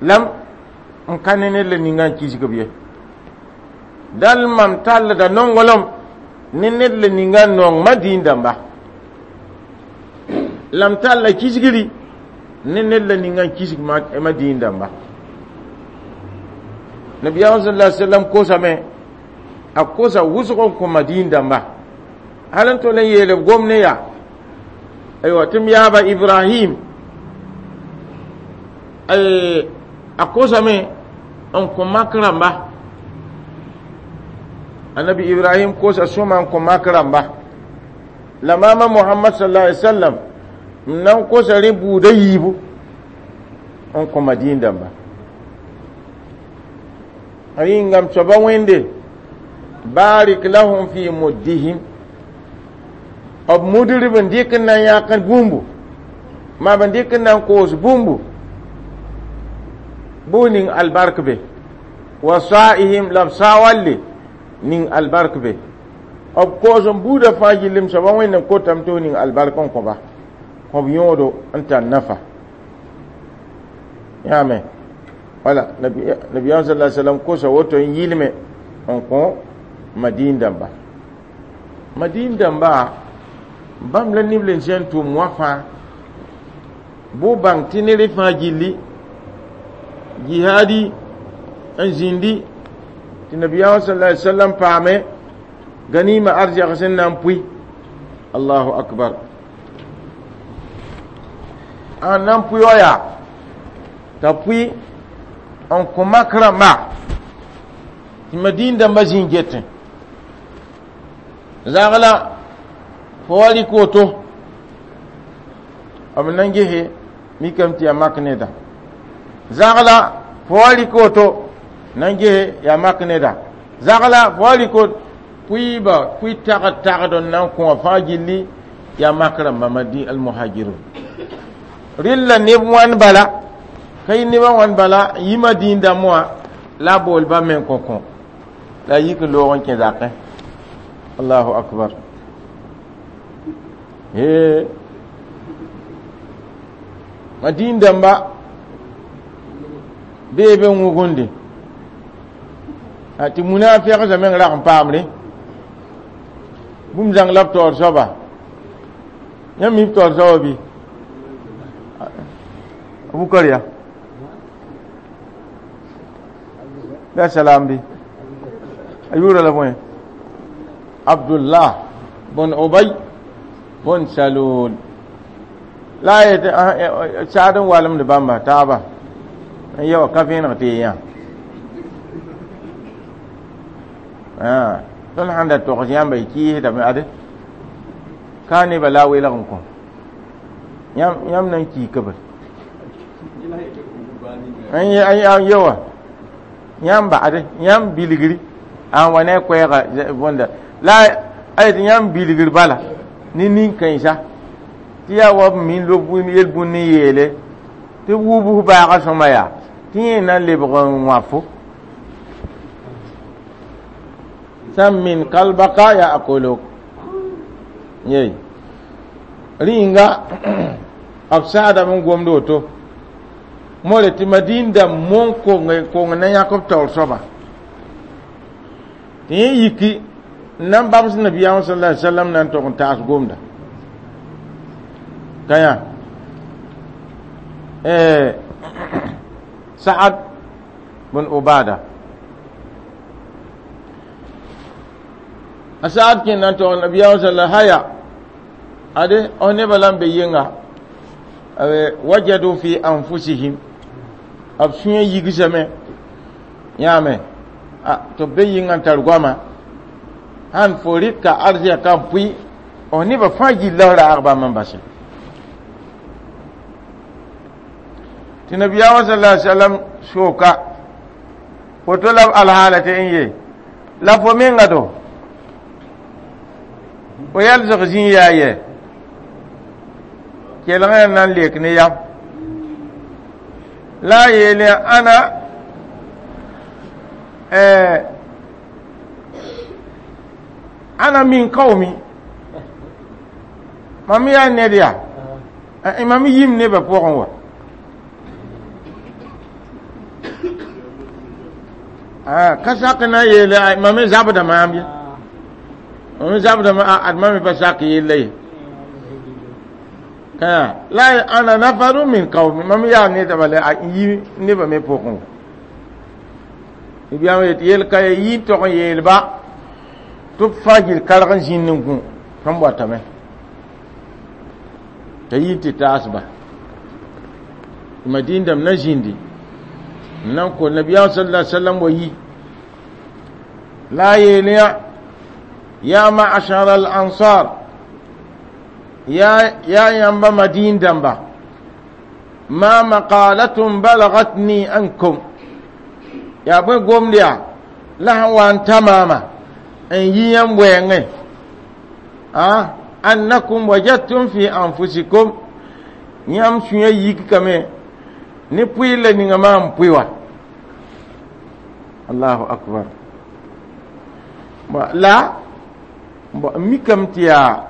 lam n ka ne ned la ninga n kisg b ye dal mam tallda nonglem ne ned la ninga n nong ma dĩin dãmba la m talla kisgri ne ned la ninga n kisg ma dĩin dãmba nabiyaam sal sallam kosame a kosa wʋsg n kõ madiin dãmba hal n tol n yeel b gom ne yaa aywa tɩ m yaaba ibrahim a kosame n kõ mak rãmba annabi ibrahim kosa sõma n kõ mak rãmba la maama mohamad sallallahu alaihi wasallam n na n kosa rẽ buuda yiibu n kõ madiin dãmba a yĩngam soaba wẽnde barik lahum fi muddihim b mudrb n dɩk n na n yãk bũmbu maa b dɩk n na n koos bũmbu bʋ ning albark be wa sa'ihim la b sawalle ning albark be b koos n buudã fãa gillim soaba wẽnd n kotame tɩ f ning albark n kõba kõb yõodo n tar nafa yãame Wala nabiyaam sallallahu alaihi wasallam kosa woto n yɩlme n kõ madin dãmba madin dãmba bãmb la neb le sẽn tʋm wã fãa bʋ bãng tɩ ned fãa gilli jihadi n zĩndi tɩ nabiyaam sallallahu alaihi wasallam paame ganima arzɛg sẽn na n pʋɩ allahu akbar a na n pʋɩ wa yaa t'a pʋɩ n kõ mak rãmba tɩ madin dãmba zĩ getẽ zagla fo wa rɩk woto b na n gese mikame tɩ yaa mak neda zagla fo wa rɩk woto na n gese yaa mak neda zagla fo wa rɩk woto pʋɩɩba pʋɩ tagd tagd n na n kõ wã fãa gilli yaa mak rãmba madi almuhajirun rɩlla neb wãn bala ka yɩ nebã wãn bala yɩ madin dãmb wã la a bool bãmb me n kõ kõ la a yik n loog n kẽ zakẽ allahu akbar he madin dãmba bee be wʋgende tɩ munafɩgsã meng rag n paamre bũmb zãng la b taoor soaba yãmb mi b taoor soaba bɩ Abubakar ya la salam bi a yʋʋra la bõe Abdullah bun Ubay bun Salul la a yet saad n walemd bãmba taaba n ya wa ka vẽeneg tɩ yã tõnd sãn da togs yãmba y kɩɩsdame ade ka nebã la a welg n kõ yãmb na n kiika br n yewa yãmb ba'ade yãmb bilgri an wa ne a koɛɛga bõnda la a yetɩ yãmb bilgr bala ne nin-kãensa tɩ yaa wa b min lob yel-bũnd n yeele tɩ b wubs baaga sõma yaa tɩ yẽ na n lebg n wãfo sammin kalbaka ya akolok yey rĩnga b saadame n gomd woto more tɩ madin dãmb mon kong na yãk b taoor soaba tɩ yẽ yiki n na n bams nabiyaam sallallahu alaihi wasallam na n tog n taas gomda ka yã Sa'ad bun Ubada a Sa'ad kẽn na n tog nabiyaam sallallahu haya ade o nebã la n be yɩnga wajadu fi anfusihim b sũyã yigsame yãame tɩ b be yĩngã n tar goama sãn fo rɩka arzɛka n pʋɩ f nebã fãa gilla f raag bãmb n base tɩ nabiyaamã sallallahu alaihi wasallam sooka woto la b alhaala tɩ n ye la fo menga do fo yɛlsg zĩ yaa yɛ kelg na n lek ne yam la a yeele ana ana min qaumi mam yaa ned yaa mam yim nebã pʋgẽ wa ka sak na n yeele mam me zabda maam ye mam me zabda ad mam me pa sak yella ye la ana nafaru min qaumi mam yaa ned bala a yi nebã me pʋgẽ wa biyaam yet yel ka yi tog n yeelba tɩ b fãa gil karg n zĩnd n gũ tõmb watame t'a yi tɩ taasba madin dãmb na zĩndi n na n kos nabiyaam sallallahu alaihi wasallam wa yi la a yeel yã ya ma'ashara al ansar ya ya yãmba madin dãmba ma maqalatun balagatni ankum yaa bõe gomd yaa la sẽn wa n ta maama n yi yãmb wɛɛngẽ annakum wajadtum fi anfusikum yãmb sũyã yikame ne pʋɩ la ninga maa n pʋɩ wa allahu akbar la n mikame tɩ yaa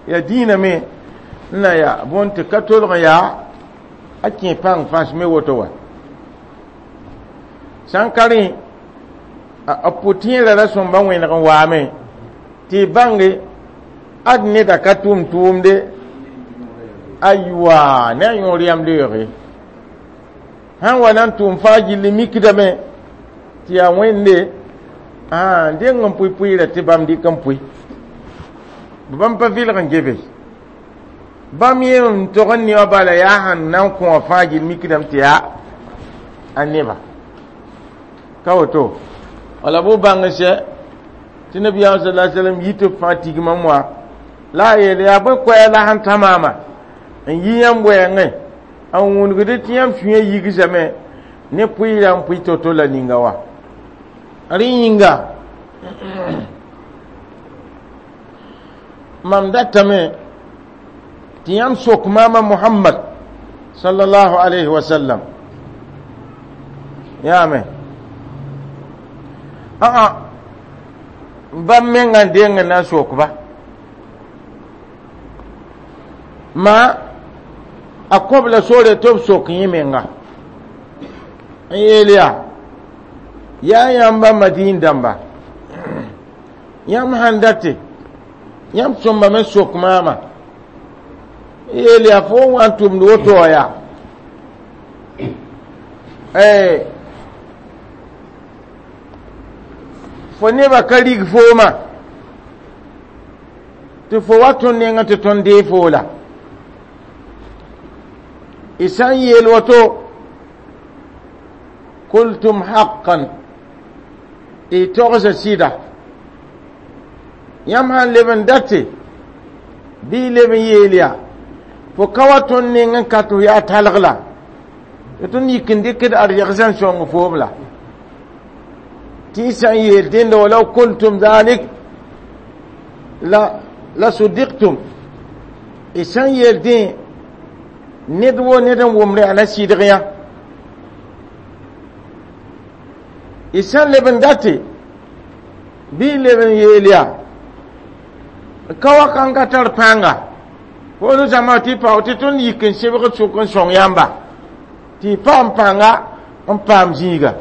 yaa dĩinã me n na yaa bõn tɩ ka tolg yaa a kẽ pãng fãs me woto wa Sãn ka rẽ a pʋ-tẽerã ra sõmba wẽneg n waame tɩ y bãnge ad neda ka tʋm tʋʋmde aywa ne a yõor yãmb leooge sãn wa na n tʋʋm fãa gilli mikdame tɩ yaa wẽnde deng n pʋɩ pʋɩɩrã tɩ bãmb dɩk n pʋɩ bãmb pa vɩlg n gebe bãmb yẽ n tog n ne wã bala yaa sẽn na n kõ wã fãa gill mikdame tɩ yaa a neba ka woto wala bʋ bãng sɛ tɩ nabiyaam sala alaihi wasallam yi tɩ b fãa tigmam wã la a yeel yaa bõe koɛɛg la sẽn tã maama n yi yãmb wɛɛngẽ n wũnugd tɩ yãmb sũyã yigsame ne pʋɩɩrã n pʋɩ to-to la ninga wa rẽ yĩnga mam datame tɩ yãmb sok maama Muhammad sallallahu alayhi wa sallam yaame aa bãmb menga n deng n na n sokba ma a kõb la sore tɩ b sok yẽ menga n yeel yaa yaa yãmba madiin dãmba yãmb sãn date yãmb sõmbame sok maama n yeel yaa fo n wa n tʋmd woto wã yaa fo nebã ka rig fooma tɩ fo wa tõnd nengã tɩ tõnd dee foo la y sã n yeel woto kultum haqqan y togsa sɩda yãmb sãn leb n date bɩ y leb n yeel yaa fo ka wa tõnd neng n ka tɩ f yaa talg la tɩ tõnd yik n dɩkd arzegsã n sõng foom la tɩ y sã n yeel dẽnda walaw kultum dhalik la la sudiktum y sã n yeel dẽ ned wo ned n wʋmd yaa na sɩdg yã y sã n leb n date bɩ y leb n yeel yaa ka wa kãng ka tar pãnga foor zãma tɩ pao tɩ tõnd yik n sebg sʋk n sõng yãmba tɩ y paam pãnga n paam zĩiga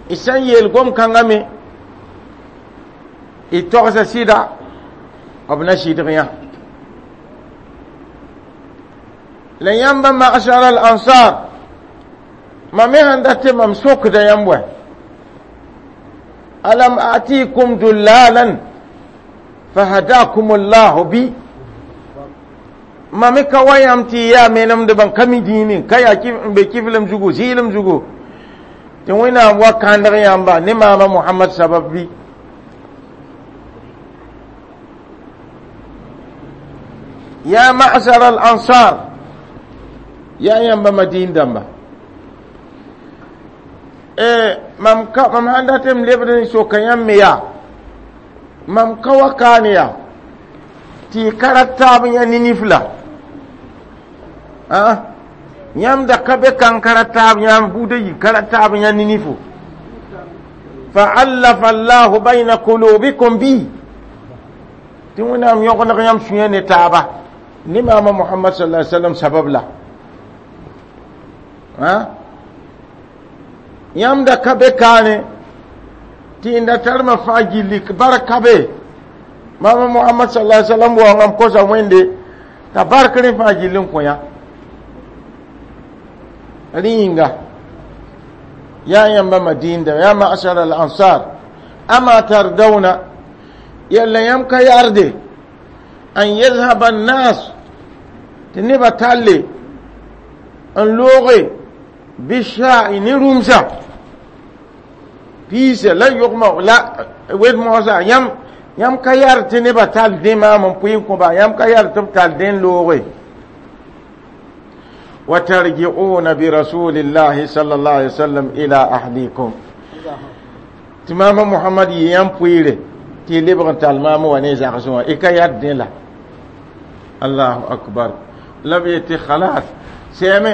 y sã n yeel gom-kãngã me y togsa sɩda b na sɩdg yã la yãmba magsar al ansar mam me sãn dat tɩ mam sokda yãmb wɛ alam atikum dullalan fahadakum allahu bi mam me ka wa yãmb tɩ y yaa menemdbã n ka mi dĩime ka yaa n be kiflem zugu zɩɩlem zugu tɩ wẽnnaam wa kãndg yãmba ne maama Mohamad sabab bɩ ya ma'sar al ansar yaa yãmba madiin dãmba mam ka mam sãn dat m lebd n soka yãmb me yaa mam ka wa kaane yaa tɩ y ka rat taab yã ninif la yãmb da ka be kãng ka rat taab yãmb buudã yi ka rat taab yã ninifo fa'allafa allahu bayna qulubikum bi tɩ wẽnnaam yõgeneg yãmb sũyã ne taaba ne maama Muhammad sallallahu alaihi wasallam sabab la yãmb da ka be kaane tɩ n da tarmã fãa gilli barka be maama Muhammad sallallahu alaihi wasallam waoongame kosa wẽnde t'a bark rẽ fãa gill n kõ yã rẽ yĩnga yaa yãmba madiinda yaa ma'sar al ansar ama tardawna yalla yãmb ka yarde an yadhhaba annas tɩ nebã talle n looge bisha'i ne rũmsã piisa la yogma la wed moosã yãmb yãmb ka yar tɩ nebã tall dẽ maam n pʋɩ n kõba yãmb ka yar tɩ b tall dẽ n looge وترجعون برسول الله صلى الله عليه وسلم إلى أهليكم تمام محمد يام بويره تي لبغن تالمام وني زاغسوا إكا يردين لا الله أكبر لم يتي خلاص سيمي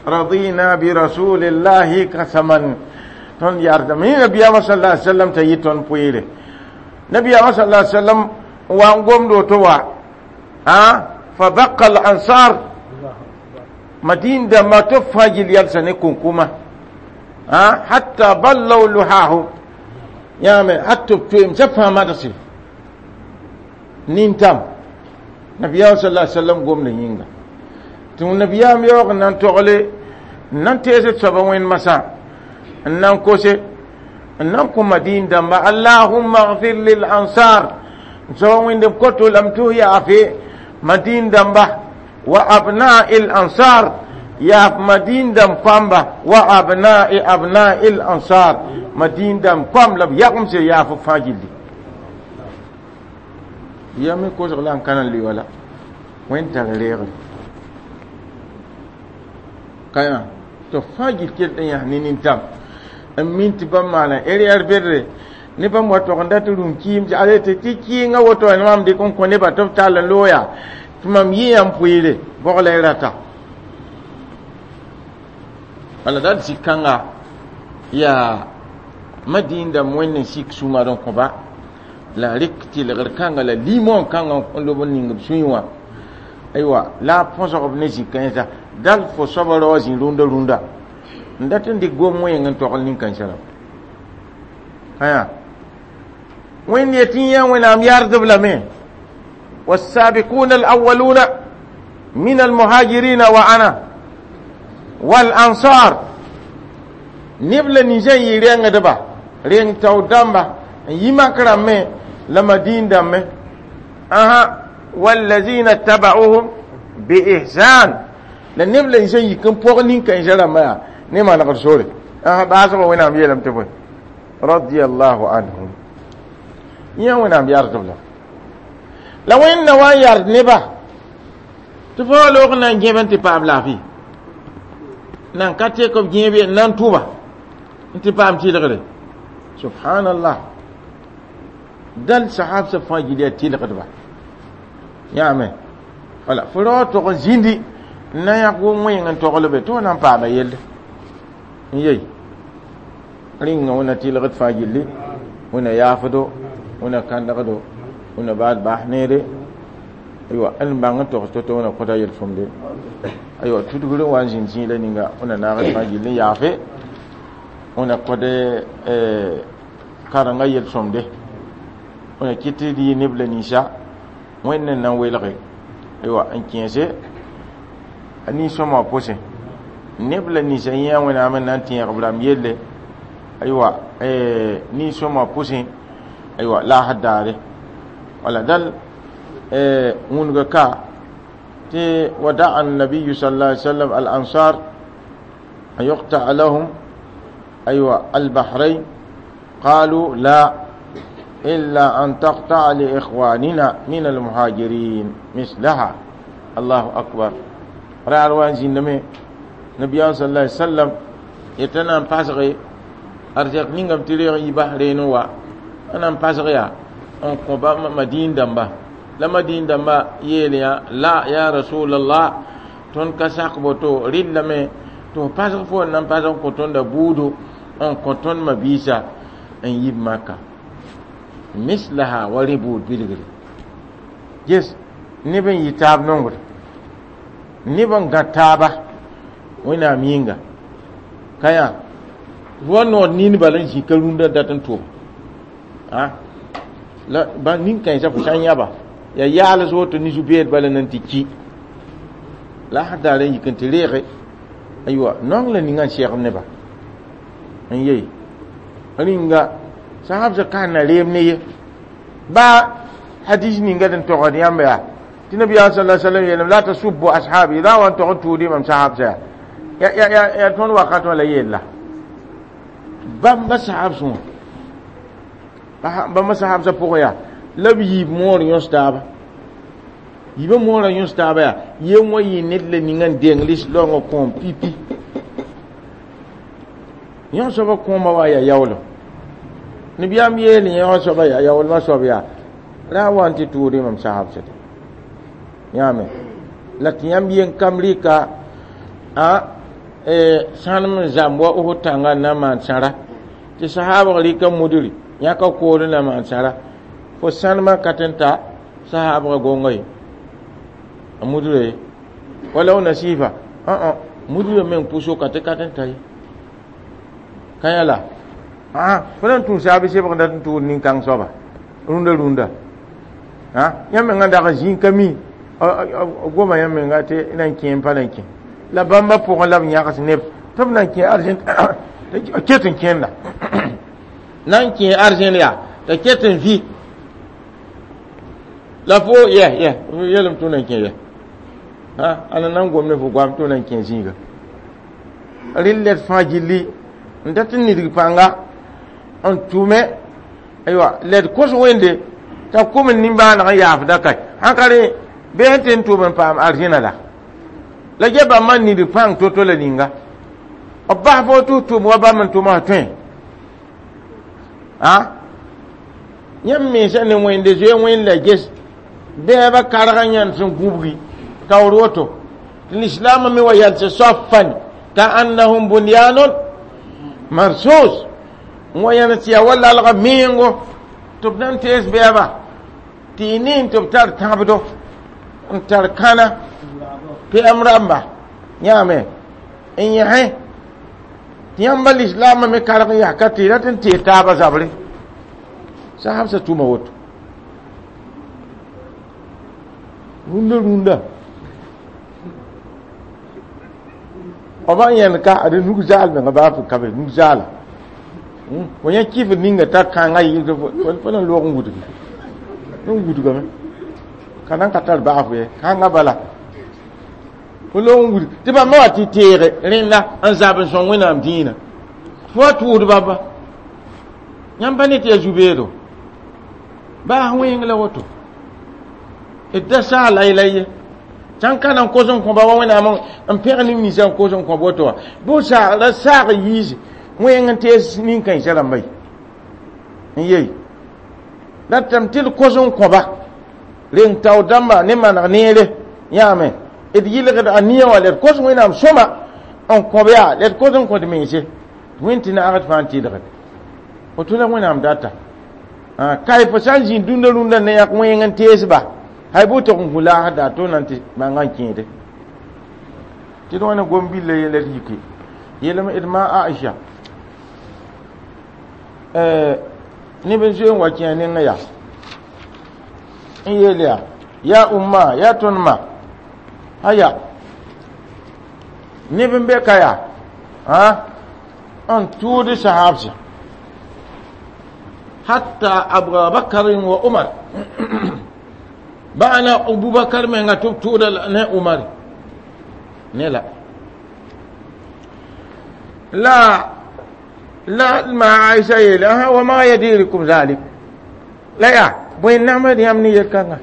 رضينا برسول الله قسما تون يارد من نبي صلى الله عليه وسلم تيتون بويره نبي صلى الله عليه وسلم وانقوم دو توا ها فبقى الأنصار madin da ma to fajil yalsa ne kunkuma Hatta ballaw luhahum yãame hat tɩ b toeemsã fãa madgse nintam nabiyaam sallallahu alaihi wasallam gomda yĩnga tɩ nabiyaam yaoog n na n togle n na n tees d soaba wẽnd masã n na n kose n na n kõ madiin dãmba allahumma gfir lil ansar n soaba wẽnd b koto lame tɩ f yaafe madiin dãmba wa abnai l ansar yaaf madiin dãmb koamba wa abnai abnai l ansar madiin dãmb koam la b yagemse yaaf b fãa gilli ya me kosg la n ka na n le wala wẽnd tar reegre ka yã tɩ fãa gil kell n yãs ne nintam n min tɩ bãmb maana erɛɛr bedre ne bãmb wa tog n dat rũm kɩɩm ale tɩ tɩ kɩɩngã woto mam dɩk n kõ nebã tɩ b tall n looya tɩ mam yɩ yãmb pʋɩɩre bog la y rata wala dal sik kãnga yaa madiin dãmb wẽnd n sik sũmad n kõba la rɩk tɩlgr kãnga la limon kãnga n lob n ning b sũyẽ wã aywa la a põsg b ne zĩ-kãensã dal fo soaba rao zĩ rũndã rũndã n dat n dɩk gom wẽeng n togl nin-kãensã rãmb aya wẽnd yetɩ yã wẽnnaam yardb lame والسابقون الأولون من المهاجرين وأنا والأنصار نبل نيزان يرين دبا رين تاو دامبا يما كرامي لما دين دامي أها والذين اتبعوهم بإحسان لنبل نيزان يكن بوغ نين كان جرى ما نما نقر سوري أها باسوا وين عم يلم تبوي رضي الله عنهم يا وين عم يرضى la wẽnna wa n yard nebã tɩ fo loog n na n gẽb n tɩ paam laafɩ nan ka tek b gẽeb ye n na n tʋba n tɩ paam tɩlgre subhanallah dal sahabsã fãa gil yaa tɩlgdba yãame wala fo rao tog n zĩndi n na yãk wʋm wẽeng n togl be tɩ f na n paama yelle n yey rĩnga wẽnna tɩlgd fãa gilli wẽnna yaafdo wẽnna kãndgdo wẽnna baad baas neere aywa n bãng n togs to-to wẽnna kõta yel-sõmde aywa tudgr n wa n zĩnd zĩila ninga wẽnna naagd fãa gill n yaafe wẽnna kõde karengã yel-sõmde wẽnna kɩt tɩ d yɩ neb la ninsã wẽnd n na n welge aywa n kẽese a nin-sõma pʋsẽ neb la ninsã yẽ wẽnnaam n na n tẽeg b rãmb yelle aywa nin-sõma pʋsẽ aywa laasd daare wala dal wũnga ka tɩ wada'a النبي صلى الله عليه وسلم الأنصار أن يقطع لهم أيوة البحرين قالوا لا إلا أن تقطع لإخواننا من المهاجرين مثلها الله أكبر رأى روان زندمي نبي صلى الله عليه وسلم يتنام باسغي أرزاق نينغم تريغ يبحرين وا أنا باسغي n kõ ba madiin dãmba la madiin dãmba yeel yã la ya rasulallah tõnd ka sak boto rɩllame tɩ f pasg fo n na n pasg n kõ tõnda buudo n kõ tõnd mabiisa n yib maka mislaha wa rẽ buud bilgre ges neb n yɩ taab nongr neb n gã taaba wẽnnaam yĩnga ka yã wa nood nin bala n zĩ ka rũndã dat n tʋb la ba nin-kãensã fo sã n yãba ya yaals woto ne zu-beed bala nan tɩ ki la a daar n yik n tɩ reege aywa naong la ninga n segd neba n yei rĩnga sahabsã ka na reem ne ye ba hadis ninga d n togd yãmb yaa tɩ nabiyaam sal sallam yeelame la tasubbu ashabi ra wa n tog n tuudi mam sahabsã yaa ya ya ya tõnd wakat wã la yella bãmba sahabsẽ wã bãmba sahabsã pʋgẽ yaa la b yiib moor yõs taaba yiibã moorã yõs taaba yaa yen wa yɩ ned la ninga n deng lislaoongã kõom pipi yõ soaba kõoma wa yaa yaoolem nabiyaam yeel yõ soaba yaa yaoolmã soab yaa ra wa n tɩ tʋʋdɩ mam sahabsã tɩ yãame la tɩ yãmb yen kam rɩka a sãnem n zãmb wa Osd tãngã n na n maan sãra tɩ sahaabg rɩka mudri yãka kood n na maan sãra fo sãnemã ka tɩ n ta sahaabgã gonga ye a mudra ye wala w nasiifa ã mudrã meng pʋsoka tɩ ka tɩ n ta ye Ka yã la fo na n tũ saab sebg dat n tʋʋd nin-kãng soaba rũndã rũndã yãmb mengã dag n zĩig ka mi goma yãmb menga tɩ na n kẽ n pa na n kẽ la bãmba pʋgẽ la b yãgs neb tɩ b na n kẽ arzẽn ket n kẽnda na n kẽ arzẽn yaa t'a ket n vɩ la fo yɛ yɛ yelem tʋ na n kẽ yɛ ala nan gom ne fo goam tʋ na n kẽ zĩiga rɩl lɛd fãa gilli n dat n nidg pãnga n tʋme aywa lɛd kos wẽnde t'a kom n nimbãaneg n yaafda ka sãn ka rẽ bɩ sẽn tɩ n tʋm n paam arzẽna la la ge bãmba n nidg pãng to-to la ninga b bas fo tɩ f tʋm wa bãmb n tʋma tõe a yãmb mensã ne wẽnde zoe wẽnd la ges bɛɛbã karg n yãnd sẽn gũbgi taoor woto tɩ lislaamã me wa yalse soafan ka annahum bunyanun marsus n wa yãnd tɩ yaa wa lalga mengo tɩ b na n tees bɛɛba tɩ y nin tɩ b tar tãbdo n tar kãna pɛm rãmba yãame n yẽsẽ tɩ yãmba lislaamã me karg n yaa ka tɩ rat n tee taabã zabre sahabsã tʋma woto rũndã rũndã b n yẽnd ka ad nug zaal menga baa fo ka be nug zaala fo yã kɩfd ninga t'a kãngã yɩɩd fo na n loog n wudgi n wudgame ka nan ka tar baafo ye kãngã bala fo loog n wudg tɩ bãmba wa tɩ teege rẽnda n zab n sõng wẽnnaam dĩinã fo wa tʋʋd bãmba yãmb pa ne tɩ yaa zu-beedo baas wẽng la woto d da saa lay-lay ye sãn ka na n kos n kõba wa wẽnnaam n pẽg neb ninsã n kos n kõb woto wã bɩ saag la saag yiise wẽng n tees nin-kãensã rãmba ye n yei ratame tɩ d kos n kõba reng tao dãmba ne maneg neere yãame d yɩlgd a nia wã la d kos wẽnnaam sõma n kõb yaa la d kos n kõd mense wẽnd tɩ naagd fãa n tɩlgd woto la wẽnnaam data kae fo sã n zĩnd dũnda rũndã ne yãk wẽng n teesba hay bʋ tog n kũ laasd daa to na n tɩ manga n kẽede tɩ d wãna gom-billa yɛla d yike yeelame d ma Aisha neb n zoe n wa kẽ a nengã yaa n yeel yaa yaa umma yaa tõnd ma aya neb n be ka yaa n tʋʋd sahabsã hatta Abubakar wa Umar ba'ana Abubakar menga tɩ b tʋʋda ne Umar ne la la la ma Aisha yeele aha wa ma yadirikum zalik la yaa bõe namd yãmb ne yel-kãnga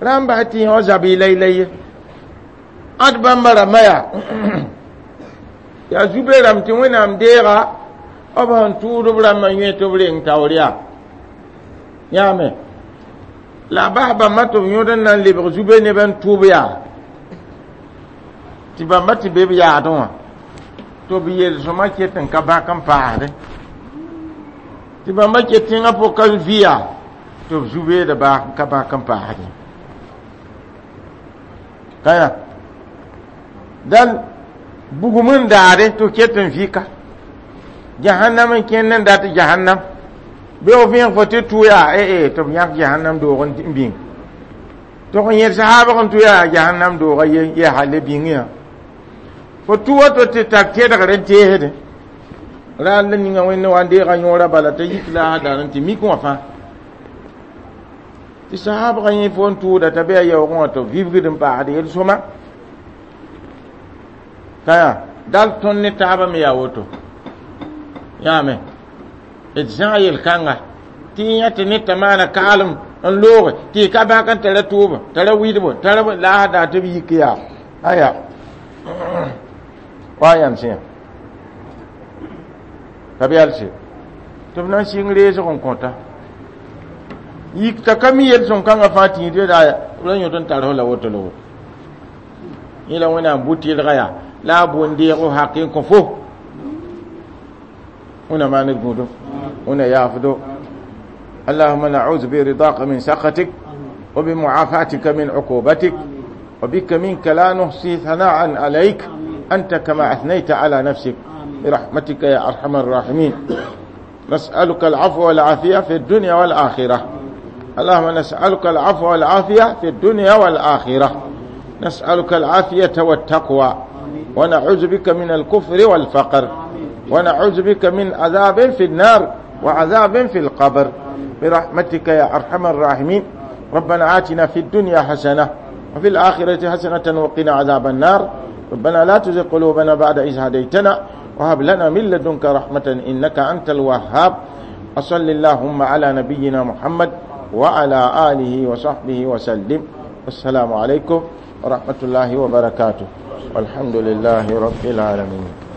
rãmb bas tɩ yõ zab y lay-lay ye ãd bãmba rãmbã yaa yaa zu-be rãmb tɩ wẽnnaam deega b sẽn tʋʋd b rãmbã yẽ tɩ b reng taoor yaa yãame la bas bãmba tɩ b yõd n na n lebg zu-be neb n tʋʋb yaa tɩ bãmba tɩ be b yaadẽ wã tɩ b yel-sõma ket n ka bãk n paasdẽ tɩ bãmba ket tẽngã pʋg ka vɩ yaa tɩ b zu-beeda ka bãk n paasdẽ ka yã dal bugum n daade tɩ ket n vɩka jahannam n kẽnd n dat jahannam bɩ f vẽeg fo tɩ tʋ yaa ee tɩ b yãk jahannam doog n bĩng tɩ f yẽd sahaabg n tʋ yaa jahannam dooga ye hal bĩng yã fo tʋ woto tɩ tar tẽdgr n teesdẽ raar la ninga wẽnd wa n deega yõora bala t'a yik la a dar n tɩ mik wã fãa tɩ sahaabgã yẽ fo n tʋʋda t'a be a yaoogẽ wã tɩ b vibgd n paasd yel-sõma ka yaa dal tõnd ne taabã me yaa woto yãame d zãg yel-kãnga tɩ y yã tɩ ned t'a maana kaalem n looge tɩ y ka bãk n tara tʋʋba tara wɩdbo tara la a daa tɩ b yik yaa aya wa yãmb sẽn ka b yalse tɩ b na n sɩng reesg n kõta yik t'a ka mi yel-sõm-kãngã fãa tĩid yaa la yõd n tar f la woto la woto yẽ la wẽnnaam bʋ-tɩlga yaa la a boond deego hak n kõ fo wẽna maan d gũudum wẽna yaafdo اللهم نعوذ برضاك من سخطك وبمعافاتك من عقوبتك وبك منك لا نحصي ثناء عليك أنت كما أثنيت على نفسك. برحمتك يا أرحم الراحمين. نسألك العفو والعافية في الدنيا والآخرة. اللهم نسألك العفو والعافية في الدنيا والآخرة. نسألك العافية والتقوى، ونعوذ بك من الكفر والفقر، ونعوذ بك من عذاب في النار وعذاب في القبر، برحمتك يا أرحم الراحمين. ربنا آتنا في الدنيا حسنة وفي الآخرة حسنة وقنا عذاب النار. ربنا لا تزغ قلوبنا بعد إذ هديتنا وهب لنا من لدنك رحمة إنك أنت الوهاب. وصل اللهم على نبينا محمد وعلى آله وصحبه وسلم. والسلام عليكم ورحمة الله وبركاته، والحمد لله رب العالمين.